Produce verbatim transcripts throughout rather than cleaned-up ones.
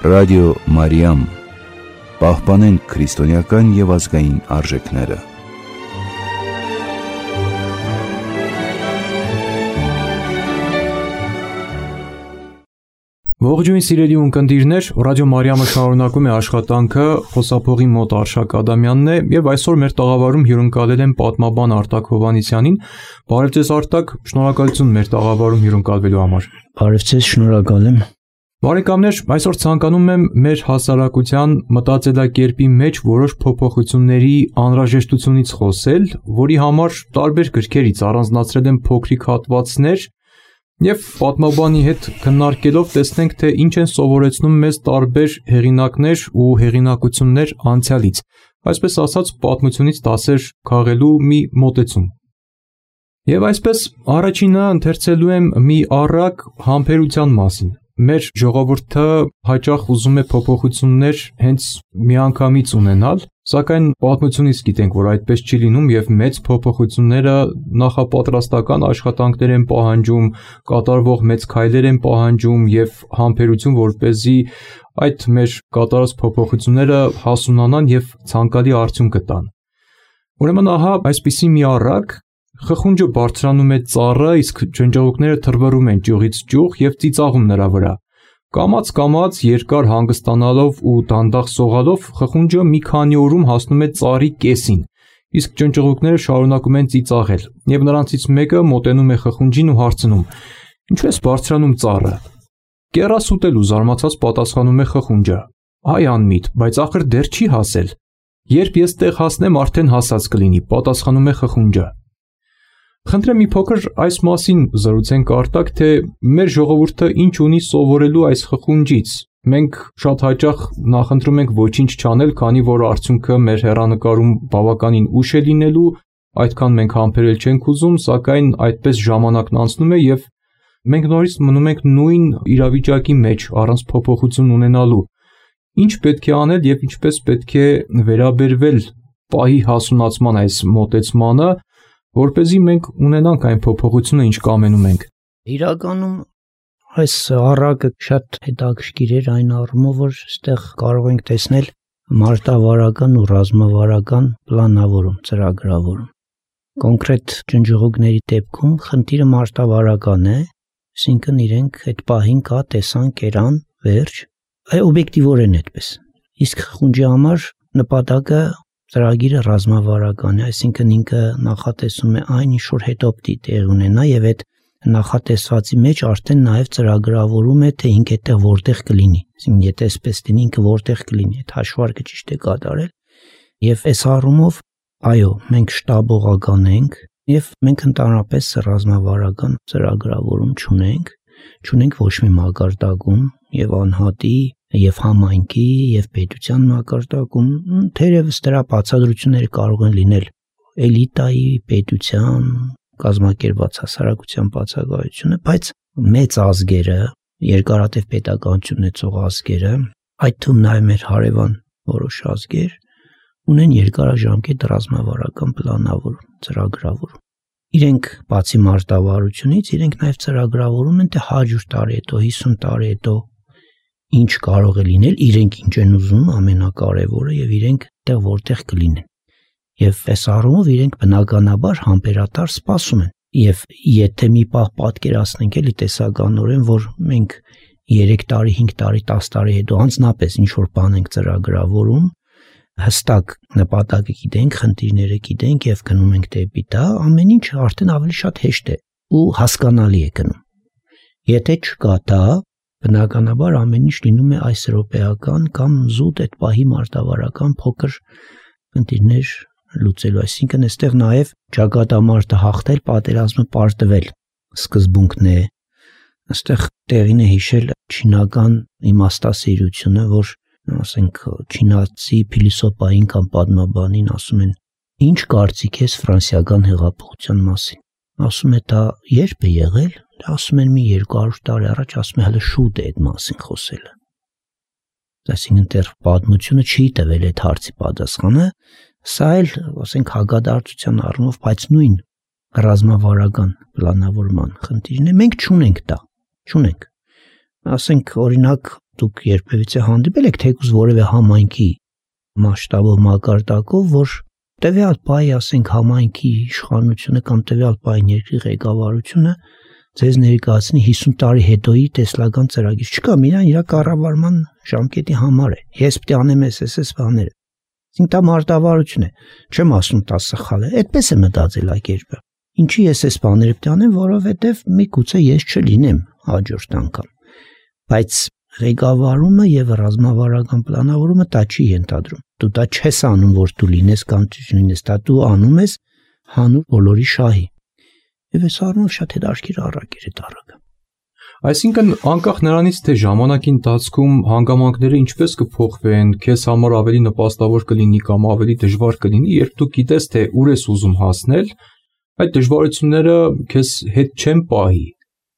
Ռադիո Մարիամ, պահպանենք քրիստոնեական և ազգային արժեքները։ Ողջույն սիրելի ունկնդիրներ, Ռադիո Մարիամը շարունակում է աշխատանքը, խոսափողի մոտ Արշակ Ադամյանն է և այսօր մեր տաղավարում հյուրընկալել եմ պատմաբան Արտակ Հովհաննիսյանին։ Բարև ձեզ Արտակ, շնորհակալություն մեր տաղավարում հյուրընկալվելու համար։ Բարև ձեզ, շնորհակալ եմ։ Բարեկամներ, այսօր ցանկանում եմ մեր հասարակության մտածելակերպի մեջ որոշ փոփոխությունների անհրաժեշտությունից խոսել, որի համար տարբեր գրքերից առանձնացրել եմ փոքրիկ հատվածներ և պատմաբանի հետ քննարկելով տեսնենք, թե ինչ են սովորեցնում մեզ տարբեր հեղինակներ ու հեղինակություններ անցյալից, այսպես ասած պատմությունից դասեր քաղելու մի մոտեցում։ Եվ այսպես առաջինը ընթերցելու եմ մի առակ համբերության մասին։ Մեր ժողովուրդը հաճախ ուզում է փոփոխություններ հենց միանգամից ունենալ, սակայն պատմությունից գիտենք, որ այդպես չի լինում և մեծ փոփոխությունները նախապատրաստական աշխատանքներ են պահանջում, կատարվող մեծ քայլեր են պահանջում և համբերություն, որպեսզի այդ մեր կատարած փոփոխությունները հասունանան և ցանկալի արդյունք տան։ Ուրեմն ահա այսպիսի մի առակ, խխունջը բարձրանում է ծառը, իսկ ջնջղուկները թռվռում են ճյուղից ճյուղ և ծիծաղում նրա վրա։ Կամաց-կամաց երկար հանգստանալով ու դանդաղ սողալով խխունջը մի քանի օրում հասնում է ծառի կեսին, իսկ ջնջղուկները շարունակում են ծիծաղել, և նրանցից մեկը մոտենում է խխունջին ու հարցնում. «Ինչու ես բարձրանում ծառը»։ «Կեռաս ուտելու», զարմացած պատասխանում է խխունջը։ «Այ անմիտ, բայց ախր դեռ չի հասել»։ «Երբ ես տեղ հասնեմ, արդեն հասած կլինի», պատասխանում է խխունջը։ Խնդրեմ մի փոքր այս մասին զրուցենք Արտակ, թե մեր ժողովուրդը ինչ ունի սովորելու այս խխունջից։ Մենք շատ հաճախ նախընտրում ենք ոչինչ չանել, քանի որ արդյունքը մեր հեռանկարում բավականին ուշ է լինելու, այդքան մենք համբերել չենք ուզում, սակայն այդպես ժամանակն անցնում է և մենք նորից մնում ենք նույն իրավիճակի մեջ, առանց փոփոխություն ունենալու։ Ինչ պետք է անել և ինչպես պետք է վերաբերվել պահի հասունացման այս մոտեցմանը, որպեսզի մենք ունենանք այն փոփոխությունը, ինչ կամենում ենք։ Իրականում այս առակը շատ հետաքրքիր էր այն առումով, որ այստեղ կարող ենք տեսնել մարտավարական ու ռազմավարական պլանավորում, ծրագրավորում։ Կոնկրետ ջնջղուկների դեպքում խնդիրը մարտավարական է, այսինքն իրենք այդ պահին կա տեսան, կերան, վերջ, այ օբյեկտիվորեն այդպես։ Իսկ խխունջի համար նպատակը ծրագիրը ռազմավարական է, այսինքն ինքը նախատեսում է այն, ինչ որ հետո պիտի տեղ ունենա և այդ նախատեսվածի մեջ արդեն նաև ծրագրավորում է, թե ինքը այդտեղ որտեղ կլինի, այսինքն եթե այսպես լինի, ինքը որտեղ կլինի, այդ հաշվարկը ճիշտ է կատարել։ Եվ այս առումով, այո, մենք շտաբողական ենք և մենք ընդհանրապես ռազմավարական ծրագրավորում չունենք, չունենք ոչ մի մակարդակում և անհատի և համայնքի և պետության մակարդակում, թերևս դրա բացատրությունները կարող են լինել էլիտայի, պետության, կազմակերպված հասարակության բացակայությունը, բայց մեծ ազգերը, երկարատև պետականություն ունեցող ազգերը, այդ թվում նաև մեր հարևան որոշ ազգեր, ունեն երկարաժամկետ ռազմավարական պլանավորում, ծրագրավորում։ Իրենք բացի մարտավարությունից, իրենք նաև ծրագրավորում են, թե հարյուր տարի հետո, հիսուն տարի հետո ինչ կարող է լինել, իրենք ինչ են ուզում, ամենակարևորը, և իրենք այդտեղ որտեղ կլինեն։ Եվ այս առումով իրենք բնականաբար համբերատար սպասում են։ Եվ եթե մի պահ պատկերացնենք էլի տեսականորեն, որ մենք երեք տարի, հինգ տարի, տաս տարի հետո անձնապես ինչ որ բան ենք ծրագրավորում, հստակ նպատակը գիտենք, խնդիրները գիտենք և գնում ենք դեպի դա, ամեն ինչ արդեն ավելի շատ հեշտ է ու հասկանալի է գնում։ Եթե չկա դա, բնականաբար ամեն ինչ լինում է այս րոպեական կամ զուտ այդ պահի մարտավարական փոքր խնդիրներ լուծելու, այսինքն այստեղ նաև ճակատամարտը հաղթել, պատերազմը պարտվել սկզբունքն է։ Այստեղ տեղին է հիշել չինական իմաստասիրությունը, որ ասենք չինացի փիլիսոփային կամ պատմաբանին ասում են. «Ինչ կարծիք ես ֆրանսիական հեղափոխության մասին»։ Ասում է դա երբ է եղել, ասում են մի երկու հարյուր տարի առաջ, ասում է հələ շուտ է այդ մասին խոսելը։ Այսինքն դեռ պատմությունը չի տվել այդ հարցի պատասխանը, սա էլ ասենք հակադարձության առումով, բայց նույն ռազմավարական պլանավորման խնդիրն է, մենք չունենք դա, չունենք։ Ասենք օրինակ դուք երբևիցե հանդիպել եք թեկուզ որևէ համայնքի մասշտաբով մակարդակով, որ տվյալ պահի, ասենք, համայնքի իշխանությունը կամ տվյալ պահի երկրի ղեկավարությունը ձեզ ներկայացնի հիսուն տարի հետոյի տեսլական ծրագիր։ Չկա, միայն իր կառավարման ժամկետի համար է։ Ես պետք է անեմ էս էս էս բաները։ Ինքն դա մարտավարություն է։ Չեմ ասում դա սխալ է, այդպես է մտածելակերպը։ Ինչի ես այս բաները պետք է անեմ, որովհետև միգուցե ես չլինեմ հաջորդ անգամ։ Բայց ղեկավարումը եւ ռազմավարական պլանավորումը դա չի ենթադրում։ Դու դա չես անում, որ դու լինես կամ չլինես, դա դու անում ես հանուն բոլորի շահի։ Եվ այս առումով շատ հետաքրքիր առակ էր այդ առակը։ Այսինքն անկախ նրանից, թե ժամանակի ընթացքում հանգամանքները ինչպես կփոխվեն, քեզ համար ավելի նպաստավոր կլինի կամ ավելի դժվար կլինի, երբ դու գիտես, թե ուր ես ուզում հասնել, այդ դժվարությունները քեզ հետ չեն պահի։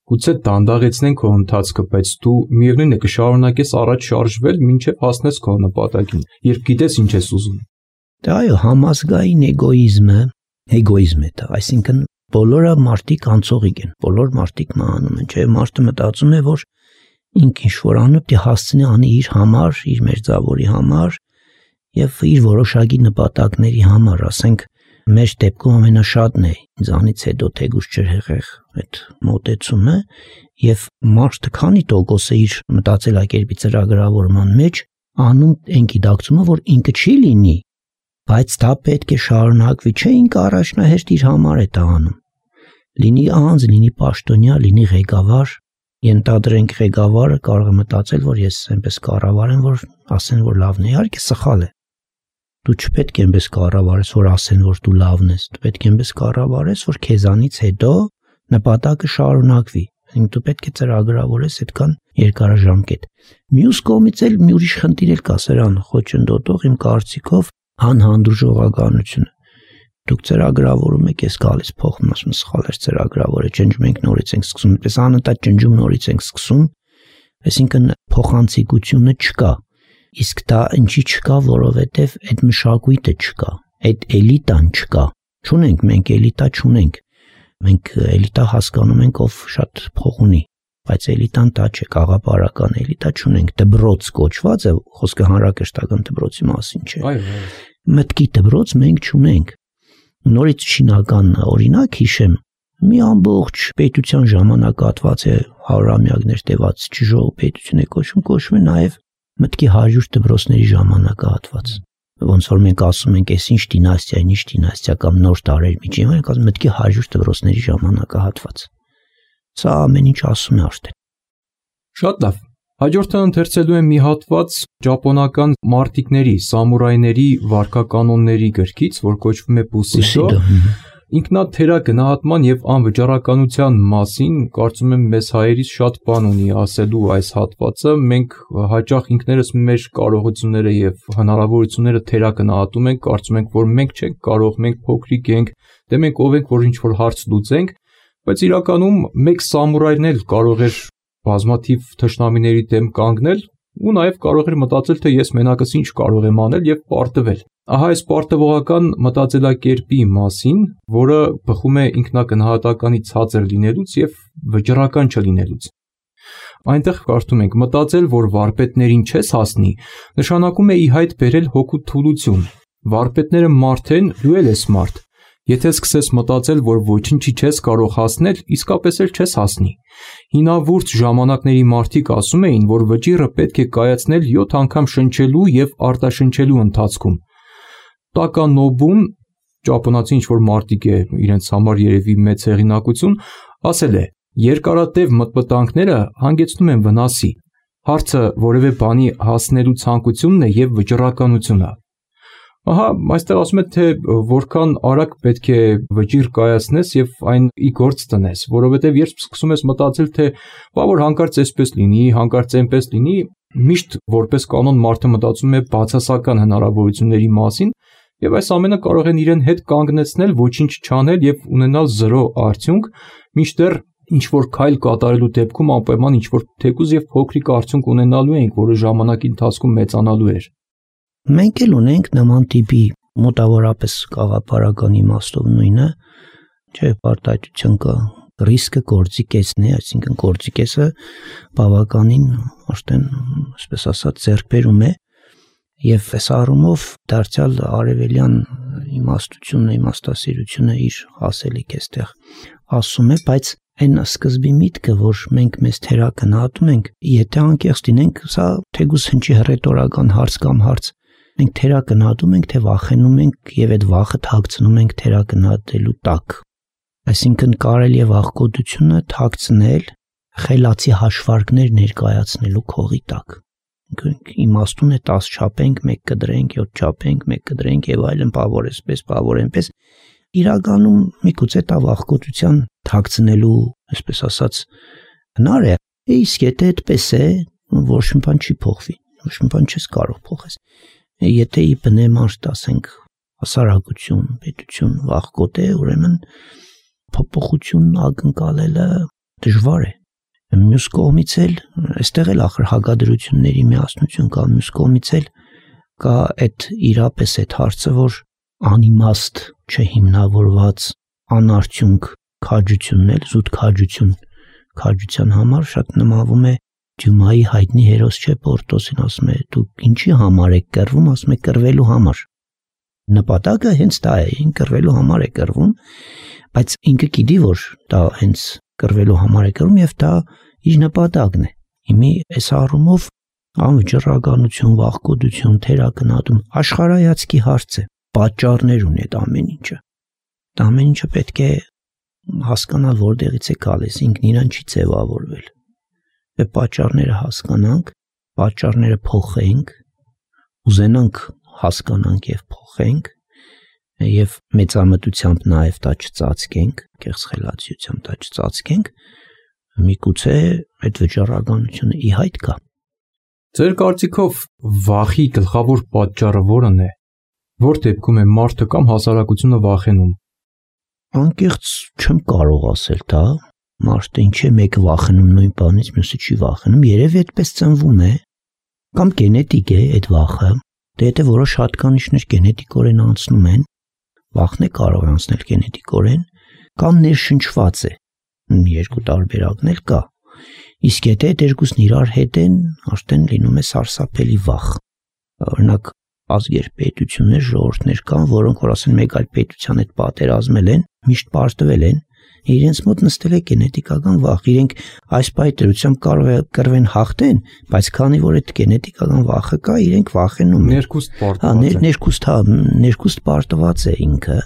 Գուցե դանդաղեցնեն քո ընթացքը, բայց դու միևնույն է կշարունակես առաջ շարժվել, մինչև հասնես քո նպատակին, երբ գիտես ինչ ես ուզում։ Դա այո, համազգային էգոիզմը, էգոիզմ է դա, այսինքն բոլորը մարդիկ անցողիկ են, բոլոր մարդիկ մահանում են, չէ՞, մարդը մտածում է, որ ինքը ինչ-որ անում պետք է հասցնի անի իր համար, իր մերձավորի համար եւ իր որոշակի նպատակների համար, ասենք մեր դեպքում ամենաշատն է ինձանից հետո թեգուս ջրհեղեղ այդ մոտեցումը եւ մարդը քանի տոկոս է իր մտածելակերպի ծրագրավորման մեջ անում այն գիտակցումը, որ ինքը չի լինի, բայց դա պետք է շարունակվի, չէ, ինքը առաջնահերթ իր համար է դա անում։ Լինի անձ, լինի պաշտոնյա, լինի ղեկավար, ենթադրենք ղեկավարը կարող է մտածել, որ ես այնպես կառավարեմ, որ ասեն, որ լավն է, իհարկե սխալ է։ Դու չպետք է այնպես կառավարես, որ ասեն, որ դու լավն ես, դու պետք է այնպես կառավարես, որ քեզանից հետո նպատակը շարունակվի, դու պետք է ծրագրավորես այդքան երկարաժամկետ։ Մյուս կողմից էլ մի ուրիշ խնդիր էլ կա սրան խոչընդոտող իմ կարծիքով անհանդուրժողականությունը։ Դուք ծրագրավորում եք, ես գալիս փոխում, ասում սխալ էր ծրագրավորը, ջնջում ենք նորից ենք սկսում, այդպես անընդհատ ջնջում նորից ենք սկսում, այսինքն փոխանցիկությունը չկա։ Իսկ դա ինչի չկա, որովհետև այդ մշակույթը չկա, այդ էլիտան չկա։ Չունենք, մենք էլիտա չունենք։ Մենք էլիտա հասկանում ենք, ով շատ փող ունի, բայց էլիտան դա չէ, գաղափարական էլիտա չունենք։ Դբրոց կոչված է, խոսքը հանրակրթական դբրոցի մասին չէ։ Այո։ Մտքի դբրոց մենք չունենք։ Նորից չինական օրինակ հիշեմ, մի ամբողջ պետության ժամանակահատված է հարյուրամյակներ տևած ճժող պետություն է կոչվում, կոչվում է նաև մտքի հարյուր դպրոցների ժամանակահատված։ Ոնց որ մենք ասում ենք, այս ինչ դինաստիա, ինչ դինաստիա կամ նոր տարեր միջին, մենք ասում մտքի հարյուր դպրոցների ժամանակահատված։ Սա ամեն ինչ ասում է արդեն։ Շատ լավ։ Հաջորդը ընթերցելու եմ մի հատված ճապոնական մարտիկների, սամուրայների վարքականոնների գրքից, որ կոչվում է Բուսիդո։ Ինքնաթերագնահատման եւ անվճարականության մասին, կարծում եմ մեզ հայերից շատ բան ունի ասելու այս հատվածը։ Մենք հաճախ ինքներս մեր կարողությունները եւ հնարավորությունները թերագնահատում ենք, կարծում ենք, որ մենք չենք կարող, մենք փոքրիկ ենք, դե մենք ով ենք, որ ինչ որ հարց լուծենք, բայց իրականում մեկ սամուրայն էլ կարող էր բազմաթիվ թշնամիների դեմ կանգնել ու նաև կարող էր մտածել, թե ես մենակս ինչ կարող եմ անել եւ պարտվել։ Ահա այս պարտվողական մտածելակերպի մասին, որը բխում է ինքնագնահատականի ցածր լինելուց եւ վճռական չլինելուց։ Այնտեղ կարդում ենք. մտածել, որ վարպետներին չես հասնի, նշանակում է ի հայտ բերել հոգու թուլություն։ Վարպետները մարդ են, դու էլ ես մարդ։ Եթե սկսես մտածել, որ ոչինչի չես կարող հասնել, իսկապես էլ չես հասնի։ Հինավուրց ժամանակների մարդիկ ասում էին, որ վճիռը պետք է կայացնել յոթ անգամ շնչելու եւ արտաշնչելու ընթացքում։ Տականոբուն, ճապոնացի ինչ-որ մարդիկ է, իրենց համար երևի մեծ հեղինակություն, ասել է. երկարատև մտմտանքները հանգեցնում են վնասի։ Հարցը որևէ բանի հասնելու ցանկությունն է եւ վճռականությունը։ Ահա, այստեղ ասում է, թե որքան արագ պետք է վճիռ կայացնես եւ այն ի գործ տնես, որովհետեւ երբ սկսում ես մտածել, թե բա որ հանկարծ այսպես լինի, հանկարծ այնպես լինի, միշտ որպես կանոն մարդը մտածում է բացասական հնարավորությունների մասին եւ այս ամենը կարող են իրեն հետ կանգնեցնել, ոչինչ չանել եւ ունենալ զրո արդյունք, մինչդեռ ինչ որ քայլ կատարելու դեպքում անպայման ինչ որ թեկուզ եւ փոքրիկ արդյունք ունենալու ենք, որը ժամանակի ընթացքում մեծանալու էր։ Մենք էլ ունենք նման տիպի մոտավորապես գաղափարական իմաստով նույնը, չէ, պարտադրություն կա ռիսկը գործի կեսն է, այսինքն գործի կեսը բավականին արդեն, այսպես ասած, ձեռքբերում է եւ այս առումով դարձյալ արևելյան իմաստությունը, իմաստասիրությունը իր ասելիք էստեղ ասում է, բայց այն սկզբի միտքը, որ մենք մեզ թերակնահատում ենք, եթե անկեղծ լինենք, սա թեկուզ հնչի հռետորական հարց կամ հարց, մենք թերակնահատում ենք, թե վախենում ենք եւ այդ վախը թաքցնում ենք թերակնահատելու տակ։ Այսինքն կարելի է վախկոտությունը թաքցնել խելացի հաշվարկներ ներկայացնելու քողի տակ։ Իմաստուն է տաս չափենք, մեկ կդրենք, յոթ չափենք, մեկ կդրենք եւ այլն, բավոր էսպես, բավոր այնպես։ Իրականում միգուցե դա վախկոտության թաքցնելու, այսպես ասած, հնար է։ Իսկ եթե այդպես է, ոչ մի բան չի փոխվի, ոչ մի բան չես կարող փոխես։ Եթե ի բնեմաշ ասենք հասարակություն, պետություն վախկոտ է, ուրեմն փոփոխություն ակնկալելը դժվար է։ Մյուս կողմից էլ, այստեղ էլ ախր հակադրությունների միասնություն կա, մյուս կողմից էլ կա այդ իրապես այդ հարցը, որ անիմաստ չհիմնավորված անարդյունք քաջությունն էլ, զուտ քաջություն, քաջության համար շատ նմանվում է Դյումայի հայտնի հերոս չէ Պորտոսին, ասում է, դուք ինչի համար եք կռվում, ասում է կռվելու համար։ Նպատակը հենց դա է, ինքը կռվելու համար է կռվում, բայց ինքը գիտի, որ դա հենց կռվելու համար է կռվում եւ դա իր նպատակն է։ Հիմի այս առումով անվճռականություն, վախկոտություն, թերակնահատում աշխարհայացքի հարց է, պատճառներ ունի այդ ամեն ինչը։ Դա ամեն ինչը պետք է հասկանալ, որտեղից է գալիս, ինքն իրան չի ձևավորվել։ Այդ պատճառները հասկանանք, պատճառները փոխենք, ուզենանք հասկանանք եւ փոխենք, եւ մեծամտությամբ նաեւ դա չծածկենք, կեղծ խելացիությամբ դա չծածկենք, միգուցե այդ վճռականությունը ի հայտ գա։ Ձեր կարծիքով վախի գլխավոր պատճառը որն է։ Որ դեպքում է մարդը կամ հասարակությունը վախենում։ Անկեղծ չեմ կարող ասել դա, մարդը ինչ է մեկը վախենում նույն բանից, մյուսը չի վախենում, երևի այդպես ծնվում է, կամ գենետիկ է այդ վախը, դե եթե որոշ հատկանիշներ գենետիկորեն անցնում են, վախն է կարող անցնել գենետիկորեն, կամ ներշնչված է, երկու տարբերակն էլ կա, իսկ եթե այդ երկուսն իրար հետ են, արդեն լինում է սարսափելի վախ, օրինակ ազգեր, պետություններ, ժողովուրդներ կան, որոնք որ ասեն մեկ այլ պետության հետ պատերազմել են, միշտ պարտվել են, իրենց մոտ նստել է գենետիկական վախ, իրենք այս պայթրությամբ կարող է կռվեն հաղթեն, բայց քանի որ այդ գենետիկական վախը կա, իրենք վախենում են։ Ներքուստ պարտված է։ Ներքուստ, հա, ներքուստ պարտված է ինքը։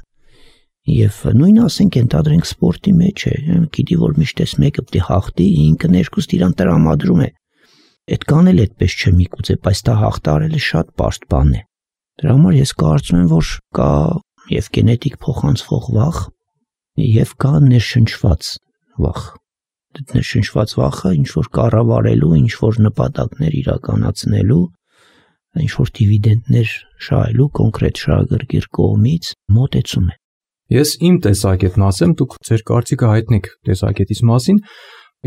Եվ նույնը ասենք ենթադրենք սպորտի մեջ է, գիտի որ միշտ էս մեկը պետք է հաղթի, ինքը ներքուստ իրան տրամադրում է։ Այդ կան էլ այդպես չէ միգուցե, բայց դա հաղթարելը շատ բարդ բան է։ Դրա համար ես կարծում եմ, որ կա եւ գենետիկ փոխանցվող վախ, եւ կա ներշնչված վախ։ Այդ ներշնչված վախը ինչ որ կառավարելու, ինչ որ նպատակներ իրականացնելու, ինչ որ դիվիդենդներ շահելու կոնկրետ շահագրգիռ կողմից մոտեցում է։ Ես իմ տեսակետն ասեմ, դուք ձեր կարծիքը հայտնեք տեսակետից մասին։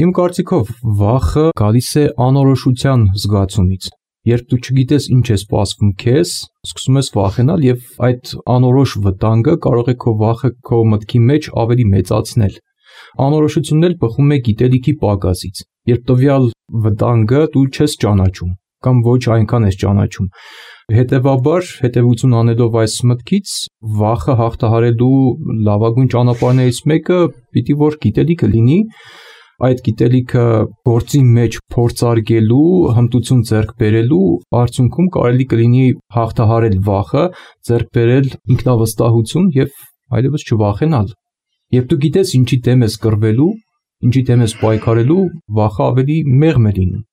Իմ կարծիքով վախը գալիս է անորոշության զգացումից։ Երբ դու չգիտես ինչ է սպասվում քեզ, սկսում ես վախենալ եւ այդ անորոշ վտանգը կարող է քո վախը քո մտքի մեջ ավելի մեծացնել։ Անորոշությունն էլ բխում է գիտելիքի պակասից։ Երբ տվյալ վտանգը դու չես ճանաչում կամ ոչ այնքան ես ճանաչում, հետեւաբար հետևություն անելով այս մտքից վախը հաղթահարելու լավագույն ճանապարհներից մեկը պիտի որ գիտելիքը լինի, այդ գիտելիքը գործի մեջ փորձարկելու, հմտություն ձեռք բերելու արդյունքում կարելի կլինի հաղթահարել վախը, ձեռք բերել ինքնավստահություն եւ այլևս չվախենալ։ Երբ դու գիտես ինչի դեմ ես կռվելու, ինչի դեմ ես պայքարելու, վախը ավելի մեղմ է լինում։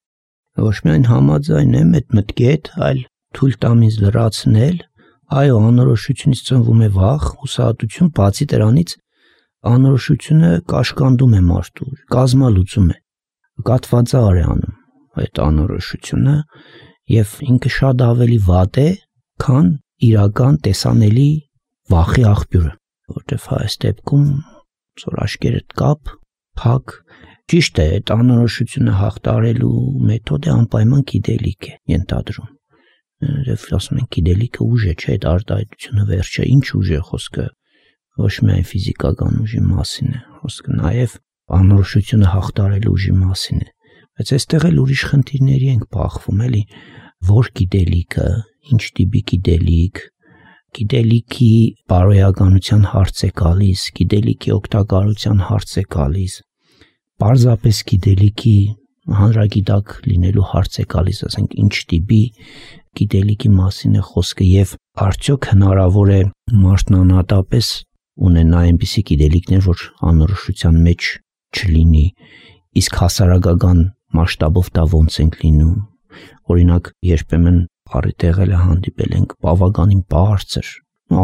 Ոչ միայն համաձայն եմ այդ մտքի հետ, այլ թույլ տամ ինձ լրացնել, այո, անորոշությունից ծնվում է վախ, հուսահատություն, բացի դրանից անորոշությունը կաշկանդում է մարդու, կազմալուծում է, կատվածար է անում այդ անորոշությունը եւ ինքը շատ ավելի վատ է, քան իրական տեսանելի վախի աղբյուրը, որտեվ այս դեպքում ծոր աշկերտ կապ, փակ, ճիշտ է, այդ անորոշությունը հաղթարելու մեթոդը անպայման գիտելիք է ենթադրում։ Եվ ասում են գիտելիքը ուժ է, չէ, այդ արտահայտությունը վերջը, ինչ ուժ է խոսքը, ոչ միայն ֆիզիկական ուժի մասին է խոսքը, նաև անորոշությունը հաղթարել ուժի մասին է, բայց այստեղ էլ ուրիշ խնդիրների ենք բախվում, էլի, որ գիտելիքը, ինչ տիպի գիտելիք, գիտելիքի բարոյականության հարց է գալիս, գիտելիքի օգտակարության հարց է գալիս, պարզապես գիտելիքի հանրագիտակ լինելու հարց է գալիս, ասենք ինչ տիպի գիտելիքի մասին է խոսքը եւ արդյոք հնարավոր է մարդն անհատապես ունենա այնպիսի գիտելիքներ, որ անորոշության մեջ չլինի, իսկ հասարակական մասշտաբով դա ոնց ենք լինում, օրինակ երբեմն առիթեղել է հանդիպել ենք բավականին բարձր,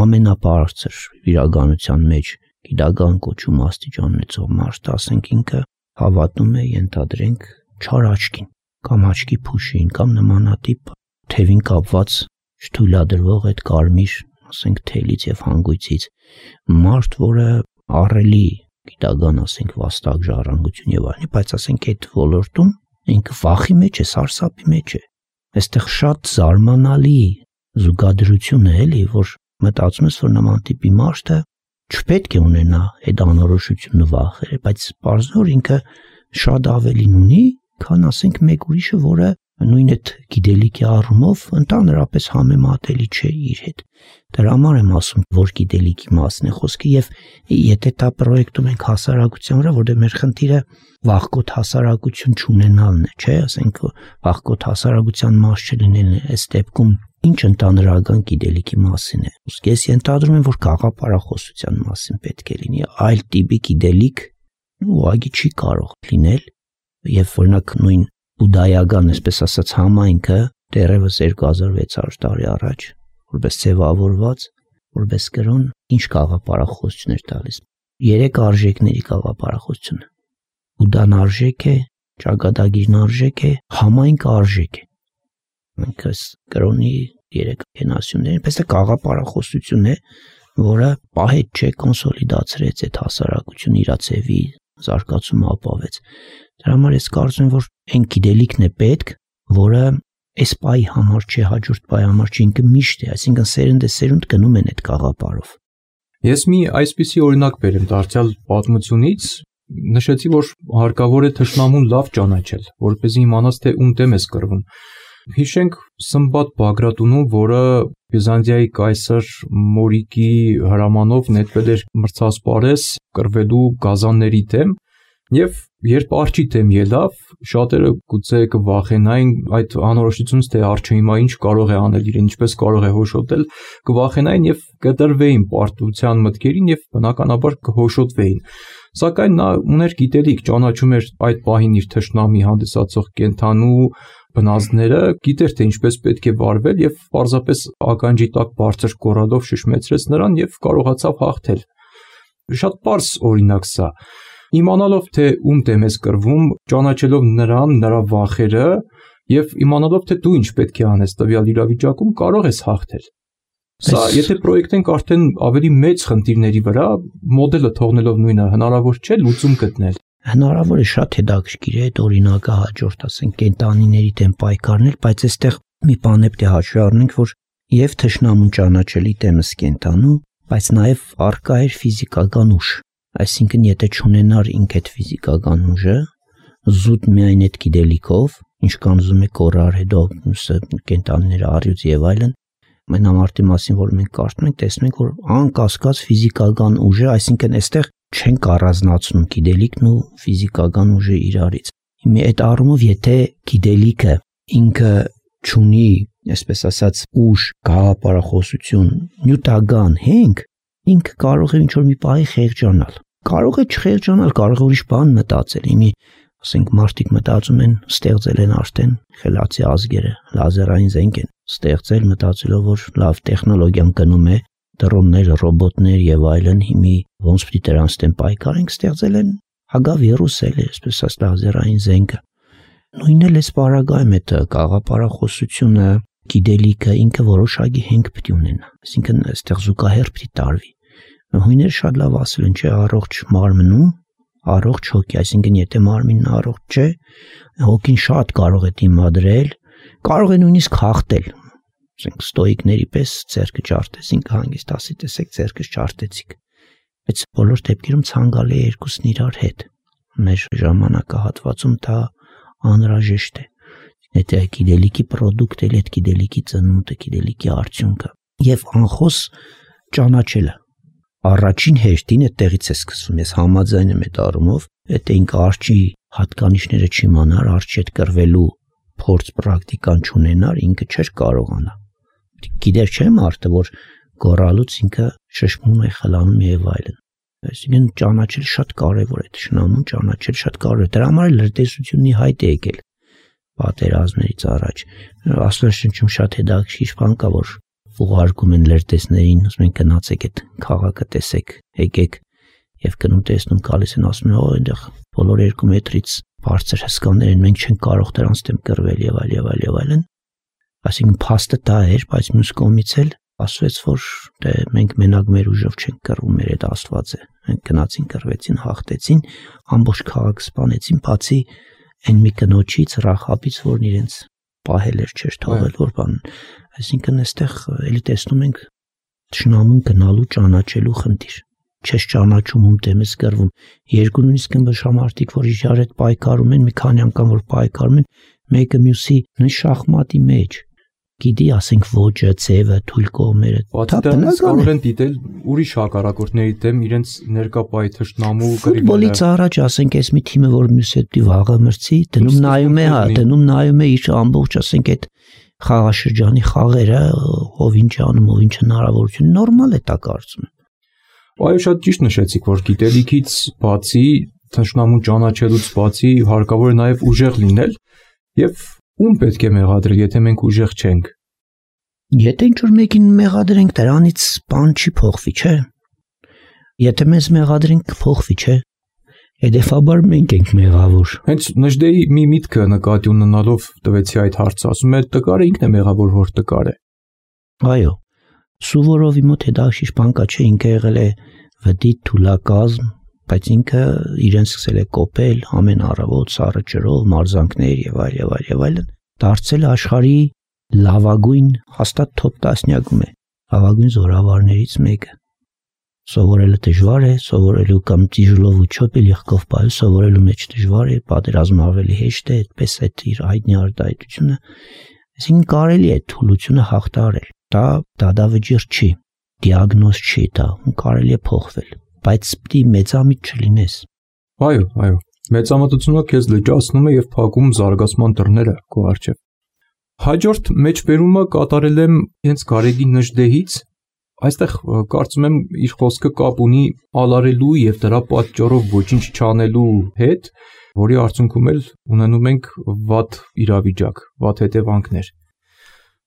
ամենաբարձր իրականության մեջ գիտական կոչում աստիճան ունեցող մարդ, ասենք ինքը հավատում է, ենթադրենք չար աչքին կամ աչքի փուշին կամ նմանատիպ թևին կապված չթույլատրվող այդ կարմիր, ասենք թելից եւ հանգույցից մարդ, որը առելի գիտական, ասենք վաստակ ժառանգություն եւ այլն, բայց ասենք այդ ոլորտում ինքը վախի մեջ է, սարսափի մեջ է։ Այստեղ շատ զարմանալի զուգադրություն է, էլի, որ մտածում ես, որ նման տիպի մարդը չպետք է ունենա այդ անորոշությունը վախերը, բայց բարձր ինքը շատ ավելին ունի, քան ասենք մեկ ուրիշը, որը նույն այդ գիտելիքի առումով ընդհանրապես համեմատելի չէ իր հետ։ Դրա համար եմ ասում, որ գիտելիքի մասն է խոսքը եւ եթե դա պրոյեկտում ենք հասարակության վրա, որտեղ մեր խնդիրը վախկոտ հասարակություն չունենալն է, չէ, ասենք վախկոտ հասարակության մաս չլինելն է, այս դեպքում ինչ ընդհանրական գիտելիքի մասին է։ Իսկ ես ենթադրում եմ, որ գաղափարախոսության մասին պետք է լինի, այլ տիպի գիտելիք ուղղակի չի կարող լինել եւ օրինակ նույն բուդայական, այսպես ասած, համայնքը դեռևս երկու հազար վեց հարյուր տարի առաջ, որպես ձևավորված, որպես կրոն, ինչ գաղափարախոսություն էր տալիս։ Երեք արժեքների գաղափարախոսությունը։ Բուդան արժեք է, ճակատագիրն արժեք է, համայնքը արժեք է։ Մենք այս կրոնի երեք կենասյուններ, այնպես է գաղափարախոսություն է, որը պահետ չէ, կոնսոլիդացրեց այդ հասարակությունը իր ցևի զարգացումը ապավեց։ Դրա համար ես կարծում եմ, որ այն գիտելիքն է պետք, որը այս պայի համար չէ, հաջորդ պայի համար չէ, ինքը միշտ է, այսինքն սերունդ է սերունդ գնում են այդ գաղափարով։ Ես մի այսպիսի օրինակ բերեմ դարձյալ պատմությունից, նշեցի, որ հարկավոր է թշնամուն լավ ճանաչել, որպեսզի իմանաս, թե ում դեմ ես կռվում։ Հիշենք Սմբատ Բագրատունու, որը Բյուզանդիայի կայսր Մորիկի հրամանով նետվել էր մրցասպարես կռվելու գազանների դեմ, եւ երբ արջի դեմ ելավ, շատերը գուցե կվախենային այդ անորոշությունից, թե արջը հիմա ինչ կարող է անել իրեն, ինչպես կարող է հոշոտել, կվախենային եւ կտրվեին պարտության մտքերին եւ բնականաբար կհոշոտվեին։ Սակայն նա ուներ գիտելիք, ճանաչում էր այդ պահին իր թշնամի հանդիսացող կենթանու բնազդները, գիտեր թե ինչպես պետք է վարվել եւ պարզապես ականջի տակ բարձր կորալով շշմեցրեց նրան եւ կարողացավ հաղթել։ Շատ պարզ օրինակ սա։ Իմանալով թե ում դեմ ես կռվում, ճանաչելով նրան, նրա վախերը եւ իմանալով թե դու ինչ պետք է անես տվյալ իրավիճակում, կարող ես հաղթել։ Սա եթե պրոյեկտենք արդեն ավելի մեծ խնդիրների վրա, մոդելը թողնելով նույնը, հնարավոր չէ լուծում գտնել։ Հնարավոր է, շատ հետաքրքիր է այդ օրինակը հաջորդ, ասենք, կենտանիների դեմ պայքարնել, բայց այստեղ մի բան է պետք է հաշվի առնենք, որ եւ թշնամուն ճանաչելի դեմս կենտանու, բայց նաեւ առկա էր ֆիզիկական ուժ։ Այսինքն, եթե չունենար ինք այդ ֆիզիկական ուժը, զուտ միայն այդ գիտելիքով, ինչքան ուզում է կորար հետո կենտանիները առյուծ եւ այլն, մենամարտի մասին, որ մենք կարծում ենք, տեսնում ենք, որ անկասկած ֆիզիկական ուժը, այսինքն այստեղ չենք առանձնացնում գիտելիքն ու ֆիզիկական ուժը իրարից։ Հիմա այդ առումով, եթե գիտելիքը ինքը չունի, այսպես ասած, ուժ, գաղափարախոսություն, նյութական հենք, ինքը կարող է ինչ-որ մի պահի խեղճանալ։ Կարող է չխեղճանալ, կարող է ուրիշ բան մտածել։ Հիմա, ասենք, մարդիկ մտածում են, ստեղծել են արդեն խելացի ազգերը, լազերային զենք են ստեղծել, մտածելով, որ լավ տեխնոլոգիան գնում է, դրոններ, ռոբոտներ եւ այլն, հիմի ոնց պիտի դրանց դեմ պայքարենք, ստեղծել են հագավիրուս էլ, այսպես ասած, լազերային զենքը։ Նույնն էլ էս բարագայում է գաղափարախոսությունը, գիտելիքը ինքը որոշակի հենք պիտի ունենա, այսինքն այստեղ զուգահեռ պիտի տարվի։ Հույները շատ լավ ասել են, չէ, առողջ մարմնում, առողջ հոգի, այսինքն եթե մարմինն առողջ չէ, հոգին շատ կարող է դիմադրել, կարող է նույնիսկ հաղթել։ Ասենք ստոիկների պես ձեռքը ճարտես, ինքը հանգիստ ասի, տեսեք, ձեռքս ճարտեցիք։ Բայց բոլոր դեպքերում ցանկալի է երկուսն իրար հետ։ մեր ժամանակահատվածում դա անհրաժեշտ է։ Եթե գիտելիքի product է, այդ գիտելիքի ծնունդը, գիտելիքի արդյունքը եւ անխոս ճանաչելը։ Առաջին հերթին այդտեղից է սկսվում։ Ես համաձայն եմ այդ առումով, եթե ինքը արջի հատկանիշները չիմանար, արջի հետ կռվելու փորձ պրակտիկան չունենար, ինքը չէր կարողանա։ Գիտեր չէ մարդը, որ գոռալուց ինքը շշմում է, խլանում եւ այլն։ Այսինքն ճանաչել շատ կարեւոր է, ճշնամուն ճանաչել շատ կարեւոր է։ Դրա համար էլ լրտեսությունի հայտ է եկել պատերազմներից առաջ։ Աստվածաշնչում շատ հետաքրքիր բան կա, որ ուղարկում են լրտեսներին, ասում են գնացեք այդ քաղաքը տեսեք, եկեք եւ գնում տեսնում գալիս են ասում են, օ, այնտեղ բոլոր երկու մետրից բարձր հսկաներ են, մենք չենք կարող դրանց դեմ կռվել եւ այլ եւ այլ եւ այլն։ Այսինքն փաստը դա էր, բայց մյուս կողմից էլ ասվեց, որ դե մենք մենակ մեր ուժով չենք կռվում, մեր այդ Աստված է։ Մենք գնացին, կռվեցին, հաղթեցին, ամբողջ քաղաքը սպանեցին, բացի այն մի կնոջից, Ռախաբից, որն իրենց պահել էր, չէր թողել, որ բան։ Այսինքն այստեղ էլի տեսնում ենք ճշնամուն գնալու ճանաչելու խնդիր։ Չես ճանաչում, ում դեմ ես կռվում։ Երկու նույնիսկ ըմբշամարտիկ, որ իրար հետ պայքարում են, մի քանի անգամ որ պայքարում են, մեկը մյուսի նույն շախմատի մեջ գիտի, ասենք ոճը, ձևը, թույլ կողմերը։ Պատահականաբար կարող են դիտել ուրիշ հակառակորդների դեմ իրենց ներկա թշնամու կռիվները։ Ֆուտբոլից առաջ ասենք այս մի թիմը, որ մյուս հետ վաղը մրցի, դնում նայում է, հա, դնում նայում է իր ամբողջ, ասենք այդ խաղաշրջանի խաղերը, ով ինչ անում, ով ինչ հնարավորություն, նորմալ է դա կարծում եմ։ Այո, շատ ճիշտ նշեցիք, որ գիտելիքից բացի, թշնամուն ճանաչելուց բացի հարկավոր է նաև ուժեղ լինել եւ ում պետք է մեղադրել, եթե մենք ուժեղ չենք։ Եթե ինչ-որ մեկին մեղադրենք, դրանից բան չի փոխվի, չէ։ Եթե մեզ մեղադրենք, կփոխվի, չէ։ Հետևաբար մենք ենք մեղավոր։ Հենց Նժդեի մի միտքը նկատի ունենալով տվեցի այդ հարցը, ասում է տկարը ինքն է մեղավոր, որ տկար է։ Այո։ Սուվորովի մոտ հետաքրքիր բան կա, չէ, ինքը եղել է վդի թուլակազմ, բայց ինքը իրեն սկսել է կոպել ամեն առավոտ սառը ջրով, մարզանքներ եւ այլ եւ այլ եւ այլն, դարձել աշխարհի լավագույն հաստատ top տասնյակում է, լավագույն զորավարներից մեկը։ Սովորելը դժվար է, սովորելու կամ տիժլով ու չոպել եղքով բայ սովորելու մեջ դժվար է, պատերազմը ավելի հեշտ է, այդպես այդ իր հայտնի արտահայտությունը, այսինքն կարելի է թուլությունը հաղթահարել։ Դա դադավճիռ չի, դիագնոզ չի դա, կարելի է փոխվել, բայց պիտի մեծամիտ չլինես։ Այո, այո, մեծամտությունը քեզ լճացնում է եւ փակում զարգացման դռները քո առջեւ։ Հաջորդ մեջբերումը կատարել եմ հենց Գարեգի Նժդեից, այստեղ կարծում եմ իր խոսքը կապ ունի ալարելու եւ դրա պատճառով ոչինչ չանելու հետ, որի արդյունքում էլ ունենում ենք վատ իրավիճակ, վատ հետևանքներ։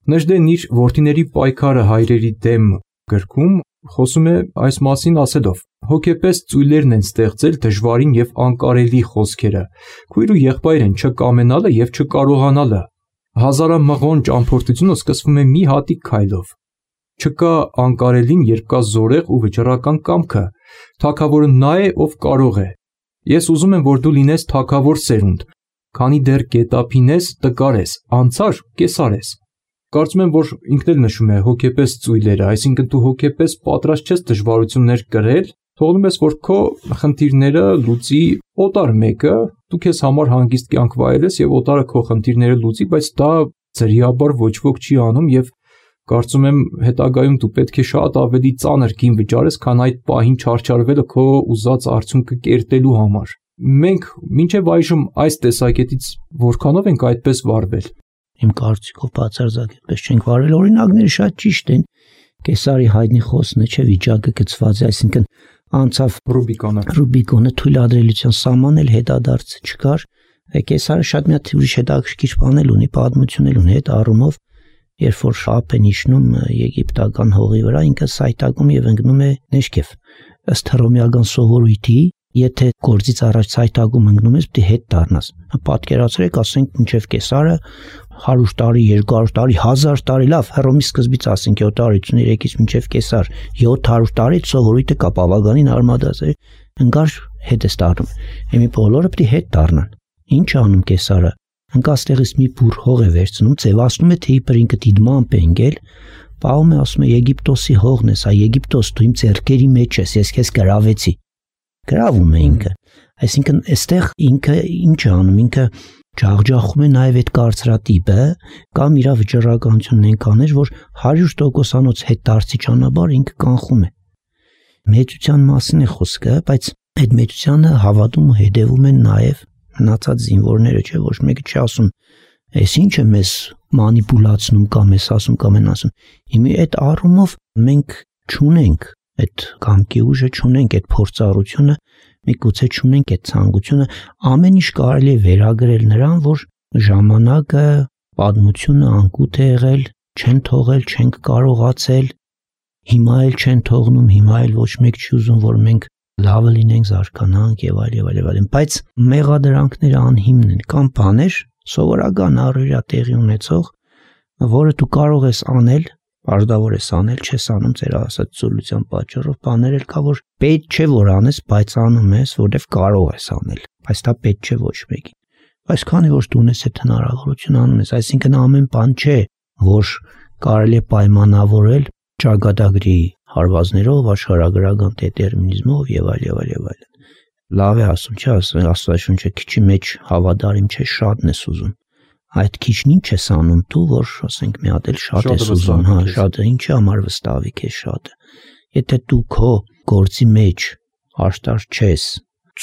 Նժդեն իր որդիների պայքարը հայրերի դեմ գրքում խոսում է այս մասին ասելով. հոգեպես ծույլերն են ստեղծել դժվարին եւ անկարելի խոսքերը, քույր ու եղբայր են չկամենալը եւ չկարողանալը։ Հազարամղոն ճամփորդությունը սկսվում է մի հատիկ քայլով։ Չկա անկարելին, երբ կա զորեղ ու վճռական կամքը, թագավորը նա է, ով կարող է։ Ես ուզում եմ, որ դու լինես թագավոր սերունդ, քանի դեռ գետափին ես, տկար ես, անցար կեսար ես։ Կարծում եմ, որ ինքն էլ նշում է հոգեպես ծույլերը, այսինքն դու հոգեպես պատրաստ ես դժվարություններ կրել, թողնում ես, որ քո խնդիրները լուծի օտար մեկը, դու քեզ համար հանգիստ կյանք վայելես եւ օտարը քո խնդիրները լուծի, բայց դա ձրիաբար ոչ ոք չի անում եւ կարծում եմ հետագայում դու պետք է շատ ավելի ծանր գին վճարես, քան այդ պահին չարչարվելը քո ուզած արդյունքը կերտելու համար։ Մենք մինչև այժմ այս տեսակետից որքանով ենք այդպես վարվել։ Իմ կարծիքով բացարձակ այդպես չենք վարել, օրինակները շատ ճիշտ են։ Կեսարի հայտնի խոսքն է, չէ, վիճակը գծված է, այսինքն անցավ Ռուբիկոնը։ Ռուբիկոնը թույլատրելիության սահման էլ հետադարձ չկար։ Կեսարը շատ մի հատ ուրիշ հետաքրքիր բան էլ ունի, պատմություն էլ ունի այդ առումով, երբ որ շապ են իջնում եգիպտական հողի վրա, ինքը սայտակում եւ ընկնում է Նեշկեվ։ Ըստ հռոմեական սովորույթի, եթե գործից առաջ սայտակում ընկնում ես, պետք է հետ դառնաս։ Պատկերացրեք, ասենք մինչև Կեսարը հարյուր տարի, երկու հարյուր տարի, հազար տարի, լավ, Հռոմի սկզբից ասենք յոթ հարյուրից մինչև Կեսար, յոթ հարյուր տարի սովորույթը կա բավականին արմատած է, ընկար հետ է դառնում։ Էմի բոլորը պետք է հետ դառնան։ Ինչ անում Կեսարը։ Ընկաստեղից մի բուր հող է վերցնում, ձևացնում է, թե իբր ինքը դիդմամբ է ընկել, պահում է, ասում է Եգիպտոսի հողն ես, այ Եգիպտոս, դու իմ ձեռքերի մեջ ես, ես քեզ գրավեցի։ Գրավում է ինքը։ Այսինքն այստեղ ինքը ինչ է անում, ինքը ջախջախում է նաև այդ կարծրատիպը կամ իր վճռականությունն են կաներ, որ հարյուր տոկոսանոց հետ դարձի ճանապարհ ինքը կանխում է։ Մեծության մասին է խոսքը, բայց այդ մեծությանը հավատում ու հետևում են նաև մնացած զինվորները, չէ՞ ոչ մեկը չի ասում, այս ինչ է մեզ մանիպուլացնում կամ էս ասում կամ են ասում։ Հիմա այդ առումով մենք չունենք այդ կամքի ուժը, չունենք այդ փորձառությունը, միգուցե չունենք այդ ցանկությունը, ամեն ինչ կարելի է վերագրել նրան, որ ժամանակը, պատմությունը անկութ է եղել, չեն թողել, չենք կարողացել, հիմա էլ չեն թողնում, հիմա էլ ոչ մեկ չի ուզում, որ մենք լավը լինենք, զարգանանք եւ այլ եւ այլ եւ այլ, բայց մեղադրանքները անհիմն են, կամ բաներ սովորական առօրյա տեղի ունեցող, որը դու կարող ես անել, պարտավոր ես անել, չես անում ծեր ասացության պատճառով, բաներ էլ կա, որ պետք չէ որ անես, բայց անում ես, որովհետև կարող ես անել, բայց դա պետք չէ ոչ մեկին։ Բայց քանի որ դու ունես այդ հնարավորությունը անում ես, այսինքն ամեն բան չէ, որ կարելի է պայմանավորել ճակատագրի հարվածներով, աշխարհագրական դետերմինիզմով եւ այլ եւ այլ եւ այլ։ Լավ է ասում, չէ՞, Աստվածաշունչը քիչի մեջ հավատարիմ չէ, շատն ես ուզում։ Այդ քիչն ինչ ես անում դու, որ ասենք մի հատ էլ շատ ես ուզում, հա, շատը ինչի համար վստահի քեզ շատը։ Եթե դու քո գործի մեջ աշտար չես,